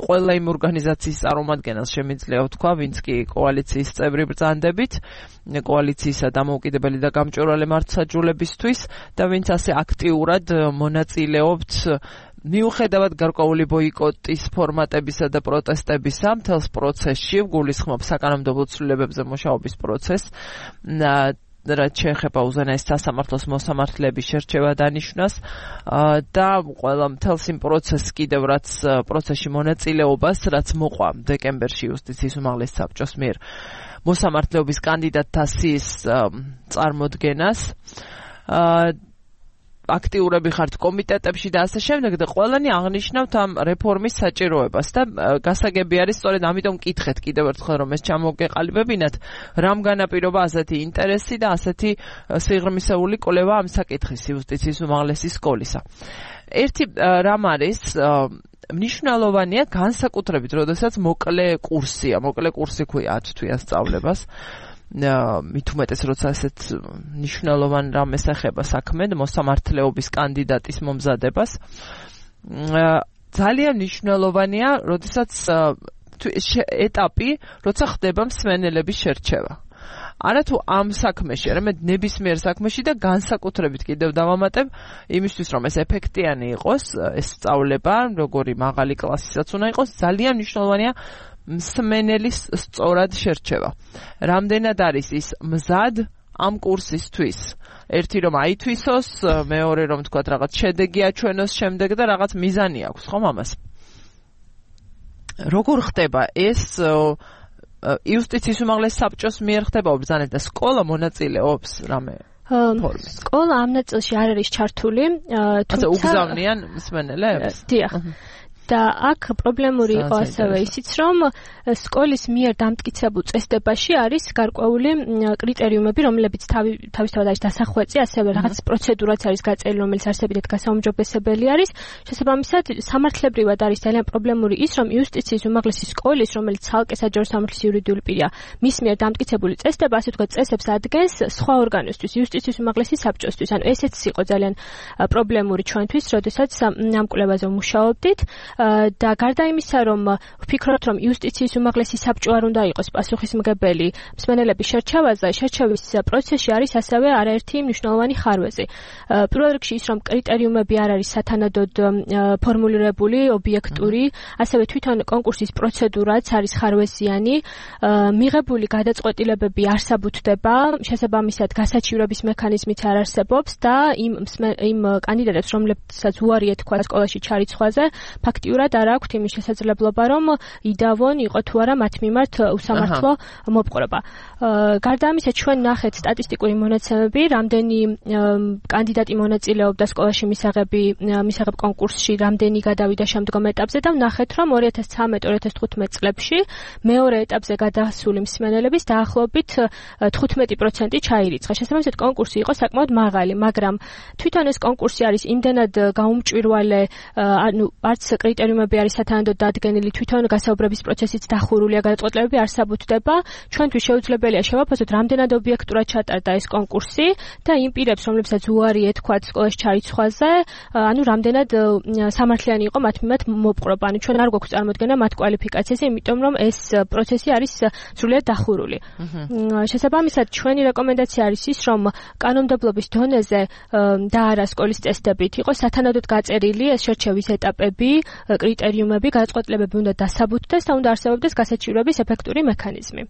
ყველა იმ ორგანიზაციის წარმომადგენელს შემიძლია ვთქვა, ვინც კი კოალიციის წევრი ბრძანდებით, კოალიციისა დამოუკიდებელი და გამჭვირვალე მართლმსაჯულებისთვის და ვინც ასე აქტიურად მონაწილეობთ მიუხედავად გარკვეული ბოიკოტის ფორმატებისა და პროტესტებისა მთელს პროცესში, გულისხმობ საკანონმდებლო ცვლილებებზე მუშაობის პროცესს, რაც შეეხება უზენაეს სასამართლოს მოსამართლეების შერჩევა დანიშნვას და ყველა მთელს იმ პროცესს კიდევ რაც პროცესში მონაწილეობას, რაც მოყვა დეკემბერში იუსტიციის უმაღლეს საბჭოს მიერ მოსამართლეობის კანდიდატთა სიის წარმოდგენას. აქტიურები ხართ კომიტეტებში და ასე შემდეგ და ყველანი აღნიშნავთ ამ რეფორმის საჭიროებას და გასაგები არის სწორედ ამიტომ მკითხეთ კიდევ ერთხელ რომ ეს ჩამოგეყალიბებინათ რამ განაპირობა ასეთი ინტერესი და ასეთი სიღრმისეული კვლევა ამ საკითხის იუსტიციის უმაღლესი სკოლისა. ერთი რამ არის მნიშვნელოვანია განსაკუთრებით, როდესაც მოკლე კურსი ქვია 10 თვიან სწავლებას. მით უმეტეს როცა ასეთ მნიშვნელოვან რამეს ეხება საქმე მოსამართლეობის კანდიდატის მომზადებას ძალიან მნიშვნელოვანია როდესაც ეტაპი როცა ხდება მსმენელების შერჩევა არათუ ამ საქმეში, არამედ ნებისმიერ საქმეში და განსაკუთრებით კიდევ დავამატებ იმისთვის რომ ეს ეფექტიანი იყოს ეს სწავლება როგორი მაღალი კლასისაც უნდა იყოს ძალიან მნიშვნელოვანია მსმენელის სწორად შერჩევა. რამდენად არის ის მზად ამ კურსისთვის? ერთი რომ აითვისოს, მეორე რომ თქვათ რაღაც შედეგი აჩვენოს შემდეგ და რაღაც მიზანი აქვს, ხომ ამას? როგორ ხდება ეს იუსტიციის უმაღლეს საბჭოს მიერ ხდება ბრძანება და სკოლა მონაწილეობს რამე ფორმით? სკოლა ამ ნაწილში არ არის ჩართული, თუმცა უგზავნიან მსმენელებს? დიახ. და აქ პრობლემური იყო ასევე ისიც, რომ სკოლის მიერ დამტკიცებულ წესდებაში არის გარკვეული კრიტერიუმები, რომლებიც თავისთავად არის დასახვეწი, ასევე რაღაც პროცედურაც არის გაწერილი, რომელიც არსებითად გასაუმჯობესებელი არის. შესაბამისად, სამართლებრივად არის ძალიან პრობლემური ის, რომ იუსტიციის უმაღლესი სკოლის, რომელიც ცალკე საჯარო სამართლის იურიდიული პირია, მის მიერ დამტკიცებული წესდება, ასე ვთქვათ, წესებს ადგენს სხვა ორგანოსთვის, იუსტიციის უმაღლესი საბჭოსთვის. ანუ ესეც იყო ძალიან პრობლემური ჩვენთვის, როდესაც ამ კვლევაზე ვმუშაობდით და გარდა იმისა, რომ ვფიქრობთ, რომ იუსტიციის უმაღლესი საბჭო არ უნდა იყოს პასუხისმგებელი მსმენელების შერჩევაზე, შერჩევის პროცესში არის ასევე არაერთი მნიშვნელოვანი ხარვეზი. პირველ რიგში ის, რომ კრიტერიუმები არ არის სათანადოდ ფორმულირებული, ობიექტური, ასევე თვითონ კონკურსის პროცედურაც არის ხარვეზიანი, მიღებული გადაწყვეტილებები არ საბუთდება, შესაბამისად გასაჩივრების მექანიზმიც არ არსებობს და იმ კანდიდატებს, რომლებსაც უარი ეთქვა სკოლაში ჩარიცხვაზე, ფაქტიურად არ აქვთ იმის შესაძლებლობა, რომ იდავონ, იყო თუ არა მათ მიმართ უსამართლო მოპყრობა. გარდა ამისა, ჩვენ ნახეთ სტატისტიკური მონაცემები, რამდენი კანდიდატი მონაწილეობდა სკოლაში მისაღებ კონკურსში, რამდენი გადავიდა შემდგომ ეტაპზე და ვნახეთ, რომ 2013-2015 წლებში მეორე ეტაპზე გადასული მსმენელების დაახლოებით 15% ჩაირიცხა. შესაბამისად, კონკურსი იყო საკმაოდ მაღალი, მაგრამ თვითონ ეს კონკურსი არის იმდენად გაუმჭვირვალე, ანუ არც კრიტერიუმები არის სათანადოდ დადგენილი, თვითონ გასაუბრების პროცესიც დახურულია, გადაწყვეტილებები არ საბუთდება. ჩვენთვის შეუძლებელია შევაფასოთ, რამდენად ობიექტურად ჩატარდა ეს კონკურსი და იმ პირებს, რომლებსაც უარი ეთქვათ სკოლაში ჩარიცხვაზე, ანუ რამდენად სამართლიანი იყო მათ მიმართ მოპყრობა. ანუ ჩვენ არ გვაქვს წარმოდგენა მათ კვალიფიკაციაზე, იმიტომ რომ ეს პროცესი არის სრულიად დახურული. შესაბამისად, ჩვენი რეკომენდაცია არის ის, რომ კანონმდებლობის დონეზე და არა სკოლის წესდებით იყოს სათანადოდ გაწერილი ეს შერჩევის ეტაპები, კრიტერიუმები, გადაწყვეტილებები უნდა დასაბუთდეს და უნდა არსებობდეს გასაჩივრების ეფექტური მექანიზმი.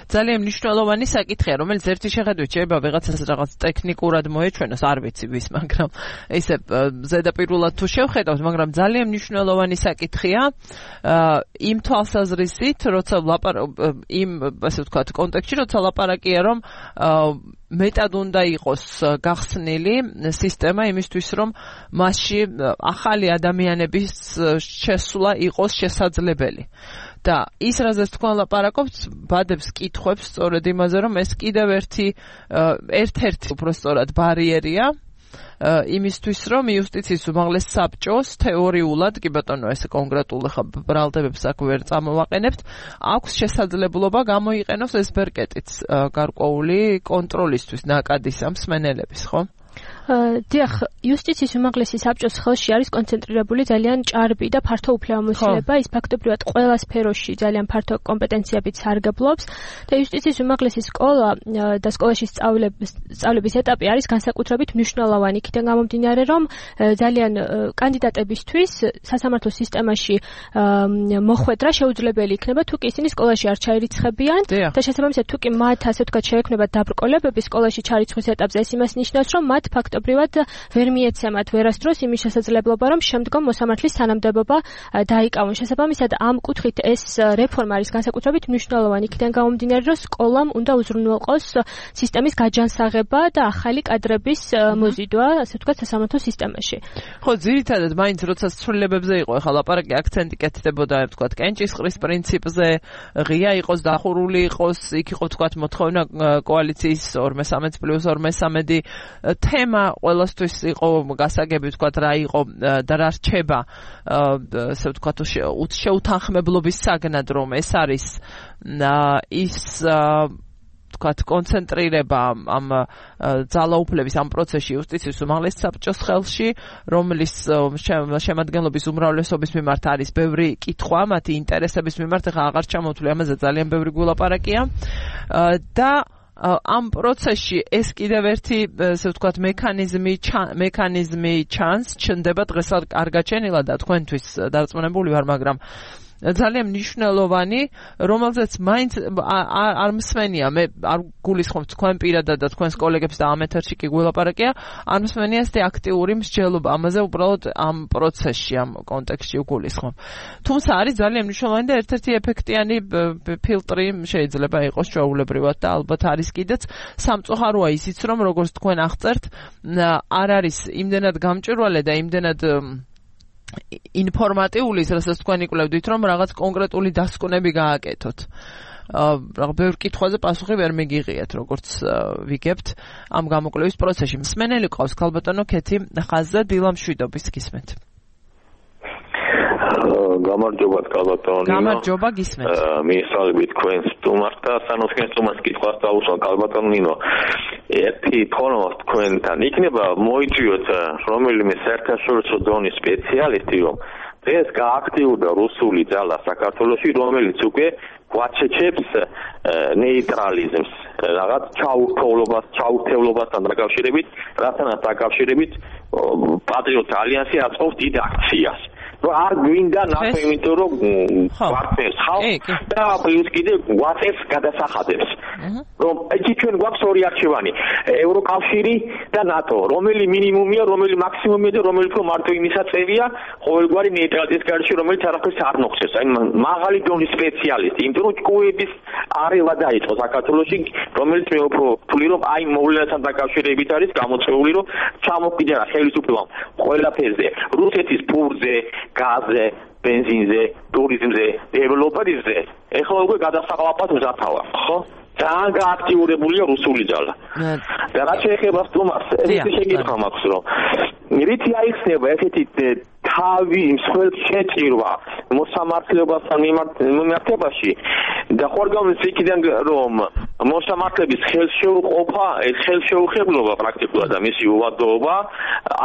ძალიან მნიშვნელოვანი საკითხია, რომელიც ერთი შეხედვით შეიძლება ვიღაცას რაღაც ტექნიკურად მოეჩვენოს, არ ვიცი ვის, მაგრამ ისე ზედაპირულად თუ შევხედავთ, მაგრამ ძალიან მნიშვნელოვანი საკითხია იმ თვალსაზრისით, როცა იმ ასე ვთქვათ კონტექსტში, როცა ლაპარაკია, რომ მეტად უნდა იყოს გახსნილი სისტემა იმისთვის, რომ მასში ახალი ადამიანების შესვლა იყოს შესაძლებელი. და ის რაზეც თქვენ ლაპარაკობთ, ბადებს კითხვებს სწორედ იმაზე, რომ ეს კიდევ ერთ-ერთი უბრალოდ ბარიერია იმისთვის, რომ იუსტიციის უმაღლეს საბჭოს თეორიულად, კი ბატონო, ეს კონკრეტულ ბრალდებებს აქ ვერ წამოვაყენებთ, აქვს შესაძლებლობა გამოიყენოს ეს ბერკეტიც გარკვეული კონტროლისთვის ნაკადის ამ მსმენელების, ხო? დიახ, იუსტიციის უმაღლესი საბჭოს ხელში არის კონცენტრირებული ძალიან ჭარბი და ფართო უფლებამოსილება, ის ფაქტობრივად ყველა სფეროში ძალიან ფართო კომპეტენციებით სარგებლობს და იუსტიციის უმაღლესი სკოლა და სკოლაში სწავლების ეტაპი არის განსაკუთრებით მნიშვნელოვანი. იქიდან გამომდინარე, რომ ძალიან კანდიდატებისთვის სასამართლო სისტემაში მოხვედრა შეუძლებელი იქნება, თუ კი ისინი სკოლაში არ ჩაირიცხებიან და შესაბამისად, თუ კი მათ ასე ვთქვათ შეექმნებათ დაბრკოლებები სკოლაში ჩარიცხვის ეტაპზე, ეს იმას ნიშნავს, რომ მათ ფაქტობრივად ვერ მიეცემათ ვერასდროს იმის შესაძლებლობა, რომ შემდგომ მოსამართლის თანამდებობა დაიკავონ. შესაბამისად, ამ კუთხით ეს რეფორმა არის განსაკუთრებით მნიშვნელოვანი. იქიდან გამომდინარე, რომ სკოლამ უნდა უზრუნველყოს სისტემის გაჯანსაღება და ახალი კადრების მოზიდვა, ასე ვთქვათ, სასამართლო სისტემაში. ხო, ძირითადად მაინც როცა ცვლილებებზე იყო, ახლა ლაპარაკი აქცენტი კეთდებოდა, ვთქვათ, კენჭისყრის პრინციპზე, ღია იყოს, დახურული იყოს, იქ იყო ვთქვათ მოთხოვნა კოალიციის 2+13+2 თემა ყველასთვის იყო გასაგები, ვთქვათ, რა იყო და რა რჩება, ასე ვთქვათ, შეუთანხმებლობის საგნად, რომ ეს არის ის ვთქვათ, კონცენტრირება ამ ძალაუფლების ამ პროცესში იუსტიციის უმაღლეს საბჭოს ხელში, რომლის შემადგენლობის უმრავლესობის მიმართ არის ბევრი კითხვა, მათი ინტერესების მიმართ, ახლა აღარ ჩამოვთვლი, ამაზე ძალიან ბევრი გულაპარაკია და ამ პროცესში ეს კიდევ ერთი, ასე ვთქვათ, მექანიზმი ჩნდება დღეს არ გაჩენილა და თქვენთვის დარწმუნებული ვარ, მაგრამ ძალიან მნიშვნელოვანი, რომელზეც მაინც არ მსმენია, მე არ გულისხმობ თქვენ პირადად და თქვენს კოლეგებს და ამ ეთერში კი გულაპარაკია, არ მსმენია ეს აქტიური მსჯელობა, ამაზე უბრალოდ ამ პროცესში, ამ კონტექსტში გულისხმობ. თუმცა არის ძალიან მნიშვნელოვანი და ერთ-ერთი ეფექტიანი ფილტრი შეიძლება იყოს ჩვეულებრივად და ალბათ არის კიდეც სამწუხაროა ისიც, რომ როგორც თქვენ აღწერთ, არ არის იმდენად გამჭვირვალე და იმდენად ინფორმატიული, რასაც თქვენ იკვლევდით, რომ რაღაც კონკრეტული დასკვნები გააკეთოთ. ბევრ კითხვაზე პასუხი ვერ მიგიღიათ, როგორც ვიგებთ ამ გამოკვლევის პროცესში. მსმენელი ყავს ქალბატონო ქეთი ხაზზე დილა მშვიდობის გისმენთ. გამარჯობა ქალბატონო. გამარჯობა გისმენთ. მისალმებით თქვენს სტუმარს და სანოთქენს სტუმარს კითხვას დაუსვა ქალბატონო ნინო. ერთი თქონო თქვენთან იქნება მოიწვიოთ რომელიმე საერთაშორისო დონის სპეციალისტი, რომ დღეს გააქტიურდა რუსული ძალა საქართველოში, რომელიც უკვე გვაჩეჩებს ნეიტრალიზმს, რაღაც ჩაურთევლობასთან დაკავშირებით, რათანაც დაკავშირებით პატრიოტ ალიანსი აწყობს დიდ აქციას. არ გვინდა ნახე, იმიტომ რომ გვარწევს ხალხს და პლუს კიდე გვაწევს გადასახადებს. რომ ეჭი ჩვენ გვაქვს ორი არჩევანი, ევროკავშირი და ნატო, რომელი მინიმუმია, რომელი მაქსიმუმია და რომელი უფრო მარტო იმისაწევია ყოველგვარი ნეიტრალიტეტის გარშე, რომელიც არაფერს არ ნოხსებს. აი მაღალი დონის სპეციალისტი, იმიტომ რომ ჭკუების არევა დაიწყო საქართველოში, რომელიც მე უფრო ვთვლი, რომ აი მოვლენასთან დაკავშირებით არის გამოწვეული, რომ ჩამოყიდა ხელისუფლებამ ყველაფერზე, რუსეთის ფურზე, გაზზე, ბენზინზე, ტურიზმზე, დეველოპერებზე, ეხლა უკვე გადასაყლაპად მზათავა, ხო? ძალიან გააქტიურებულია რუსული ძალა. და რაც შეეხება სტუმარს, ეს შეკითხვა მაქვს, რომ რითი აიხსნება ესეთი თავი მსხვერპლ შეჭირვა მოსამართლეობასთან მიმართებაში და ხორგამის იქიდან რომ მოსამართლების ხელშეუყოფა, ეს ხელშეუხებლობა პრაქტიკულად და მისი უვადოობა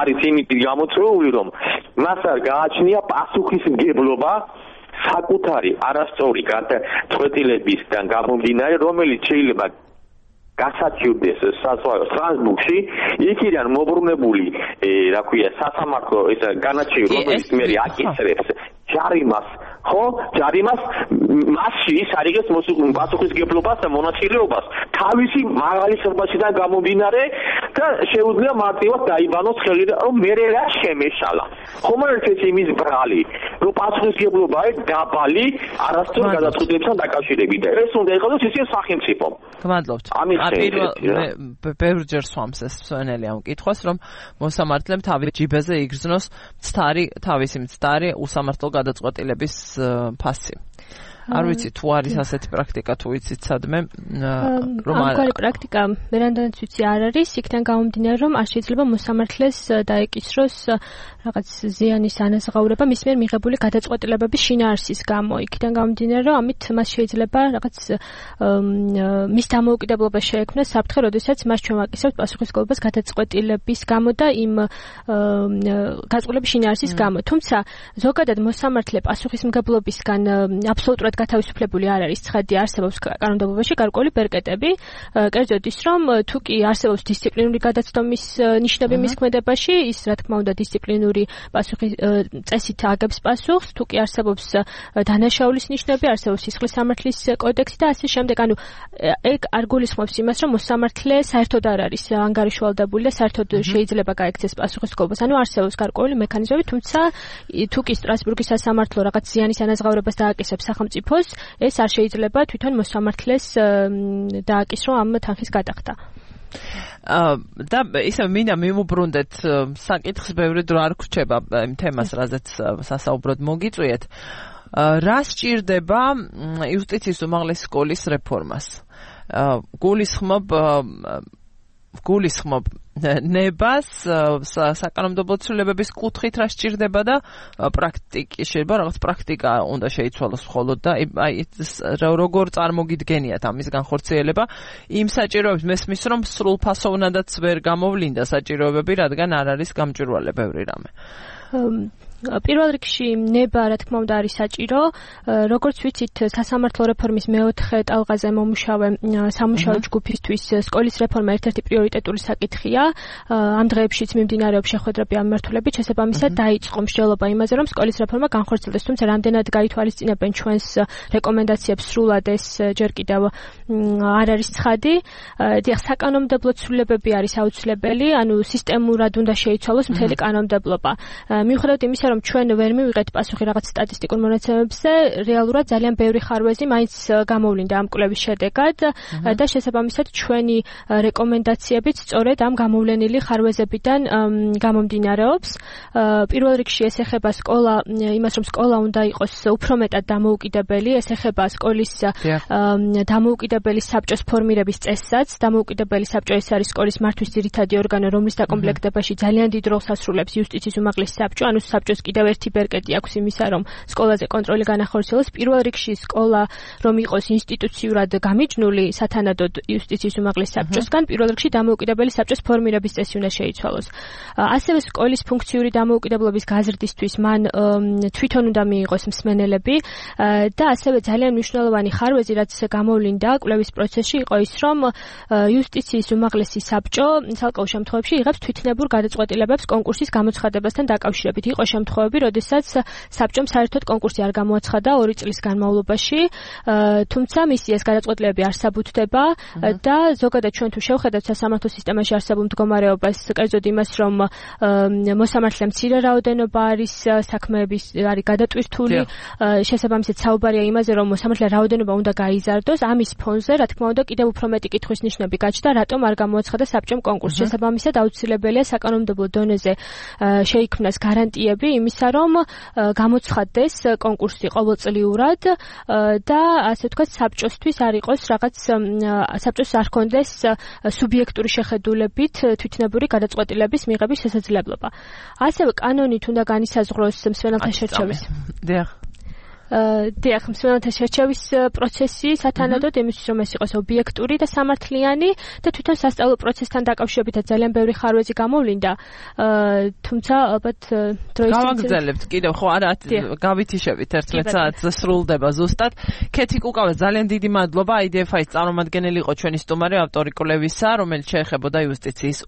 არის იმით გამოწვეული, რომ მას არ გააჩნია პასუხისმგებლობა საკუთარი არასწორი გადაწყვეტილებისგან გამომდინარე, რომელიც შეიძლება გასაჩივრდეს სტრასბურგში, იქიდან მობრუნებული, რა ქვია, სასამართლო ეს განაჩენი, რომელიც მე აკისრებს ჯარიმას, ხო? ჯარიმას მასში ის არიგებს პასუხისმგებლობას და მონაწილეობას თავისი მაღალი ხმასიდან გამომდინარე და შეუძლია მარტივად დაიბანოს ხელი, რომ მე რა შემეშალა. ხომ არ ეს იმის ბრალი, რომ პასუხისმგებლობა არის დაბალი არასწორ გადაწყვეტილებასთან დაკავშირებით და ეს უნდა იყოს ისე სახელმწიფო. გმადლობთ. ბევრჯერ swams ეს მსვენელი ამ კითხვას, რომ მოსამართლემ თავის ჯიბეზე იგრძნოს თავისი მცდარი უსამართლო გადაწყვეტილების ფასი. არ ვიცი თუ არის ასეთი პრაქტიკა, თუ ვიცით სადმე რომ ამგვარი პრაქტიკა მერანდანაც ვიცი არ არის, იქიდან გამომდინარე რომ არ შეიძლება მოსამართლეს დაეკისროს რაღაც ზიანის ანაზღაურება მის მიერ მიღებული გადაწყვეტილებების შინაარსის გამო. იქიდან გამომდინარე რომ ამით მას შეიძლება რაღაც მის დამოუკიდებლობა შეექმნა საფრთხე, როდესაც მას ჩვენ ვაკისრებთ პასუხისმგებლობას გადაწყვეტილების გამო და იმ გადაწყვეტილების შინაარსის გამო. თუმცა ზოგადად მოსამართლე პასუხისმგებლობისგან აბსოლუტურად გათავისუფლებული არ არის, ცხადია არსებობს კანონმდებლობაში გარკვეული ბერკეტები, კერძოდ ის რომ თუ კი არსებობს დისციპლინური გადაცდომის ნიშნები მის ქმედებაში, ის რა თქმა უნდა დისციპლინური პასუხი წესით აგებს პასუხს, თუ კი არსებობს დანაშაულის ნიშნები, არსებობს სისხლის სამართლის კოდექსი და ასე შემდეგ. ანუ ეგ არ გულისხმობს იმას, რომ მოსამართლე საერთოდ არ არის ანგარიშვალდებული და საერთოდ შეიძლება გაექცეს პასუხისმგებლობას. ანუ არსებობს გარკვეული მექანიზმები, თუმცა თუ კი სტრასბურგის სასამართლო რაღაც ზიანის ანაზღაურებას დააკისრებს სახელმწიფოს, ეს არ შეიძლება თვითონ მოსამართლეს დააკისრო ამ თანხის გადახდა. და ისე მინდა მივუბრუნდეთ საკითხს, ბევრი დრო არ გვრჩება იმ თემას, რაზეც სასაუბროდ მოგიწვიეთ. რა სჭირდება იუსტიციის უმაღლესი სკოლის რეფორმას? გულისხმობ ნებას საკანონმდებლო ცვლილებების კუთხით რა სჭირდება და პრაქტიკი შეიძლება რაღაც პრაქტიკა უნდა შეიცვალოს მხოლოდ და აი როგორ წარმოგიდგენიათ ამის განხორციელება იმ საჭიროებს მესმის რომ სრულფასოვნადაც ვერ გამოვლინდა საჭიროებები, რადგან არ არის გამჭვირვალე ბევრი რამე. პირველ რიგში ნება რა თქმა უნდა არის საჭირო, როგორც ვიცით სასამართლო რეფორმის მეოთხე ტალღაზე მომუშავე სამუშაო ჯგუფისთვის სკოლის რეფორმა ერთ-ერთი პრიორიტეტული საკითხია. ამ დღეებშიც მიმდინარეობს შეხვედრები ამ მიმართულებით, შესაბამისად დაიწყო მსჯელობა იმაზე, რომ სკოლის რეფორმა განხორციელდეს, თუმცა რამდენად გაითვალისწინებენ ჩვენს რეკომენდაციებს სრულად ეს ჯერ კიდევ არ არის ცხადი. დიახ, საკანონმდებლო ცვლილებები არის აუცილებელი, ანუ სისტემურად უნდა შეიცვალოს მთელი კანონმდებლობა. მიუხედავად იმისა, რომ ჩვენ ვერ მივიღეთ პასუხი რაღაც სტატისტიკურ მონაცემებზე, რეალურად ძალიან ბევრი ხარვეზი მაინც გამოვლინდა ამ კვლევის შედეგად და შესაბამისად ჩვენი რეკომენდაციებიც სწორედ ამ გამოვლენილი ხარვეზებიდან გამომდინარეობს. პირველ რიგში ეს ეხება იმას, რომ სკოლა უნდა იყოს უფრო მეტად დამოუკიდებელი, ეს ეხება სკოლის დამოუკიდებელი საბჭოს ფორმირების წესსაც. დამოუკიდებელი საბჭო ეს არის სკოლის მართვის ძირითადი ორგანო, რომლის დაკომპლექტებაში ძალიან დიდ როლს ასრულებს იუსტიციის უმაღლესი საბჭო, ანუ საბჭოს კიდევ ერთი ბერკეტი აქვს იმისა, რომ სკოლაზე კონტროლი განახორციელოს. პირველ რიგში სკოლა რომ იყოს ინსტიტუციურად გამიჯნული სათანადოდ იუსტიციის უმაღლეს საბჭოსგან, პირველ რიგში დამოუკიდებელი საბჭოს ფორმირების წესი უნდა შეიცვალოს. ასევე სკოლის ფუნქციური დამოუკიდებლობის გაზრდისთვის მან თვითონ უნდა მიიღოს მსმენელები და ასევე ძალიან მნიშვნელოვანი ხარვეზი, რაც გამოვლინდა კვლევის პროცესში, იყო ის, რომ იუსტიციის უმაღლესი საბჭო ცალკეულ შემთხვევებში იღებს თვითნებურ გადაწყვეტილებებს კონკურსის გამოცხადებასთან დაკავშირებით. იყო შემთხვევები, როდესაც საბჭომ საერთოდ კონკურსი არ გამოაცხადა 2 წლის განმავლობაში, თუმცა მისი ეს გადაწყვეტილებები არ საბუთდება და ზოგადად ჩვენ თუ შევხედავთ სასამართლო სისტემაში არსებულ მდგომარეობას, კერძოდ იმას, რომ მოსამართლე მცირე რაოდენობა არის საქმეების არის გადატვირთული, შესაბამისად საუბარია იმაზე, რომ მოსამართლე რაოდენობა უნდა გაიზარდოს, ამის ფონზე, რა თქმა უნდა, კიდევ უფრო მეტი კითხვის ნიშნები გაჩნდა, რატომ არ გამოაცხადა საბჭომ კონკურსი. შესაბამისად აუცილებელია საკანონმდებლო დონეზე შეიქმნას გარანტიები იმისა, რომ გამოცხადდეს კონკურსი ყოველწლიურად და ასე ვთქვათ საბჭოსთვის არ იყოს რაღაც საბჭოს არ ქონდეს სუბიექტური შეხედულებით თვითნებური გადაწყვეტილების მიღების შესაძლებლობა. ასევე კანონით უნდა განისაზღვროს მსმენელთა შერჩევის. დიახ, მსმენელთა შერჩევის პროცესი სათანადოდ იმისთვის, რომ ეს იყოს ობიექტური და სამართლიანი და თვითონ სასწავლო პროცესთან დაკავშირებითაც ძალიან ბევრი ხარვეზი გამოვლინდა. თუმცა ალბათ დროის გავაგრძელებთ კიდევ ხო არა გავითიშებით 11 საათს სრულდება ზუსტად. ქეთი კუკავა ძალიან დიდი მადლობა IDFI-ის წარმომადგენელი იყო ჩვენი სტუმარი ავტორი კვლევისა, რომელიც შეეხებოდა იუსტიციის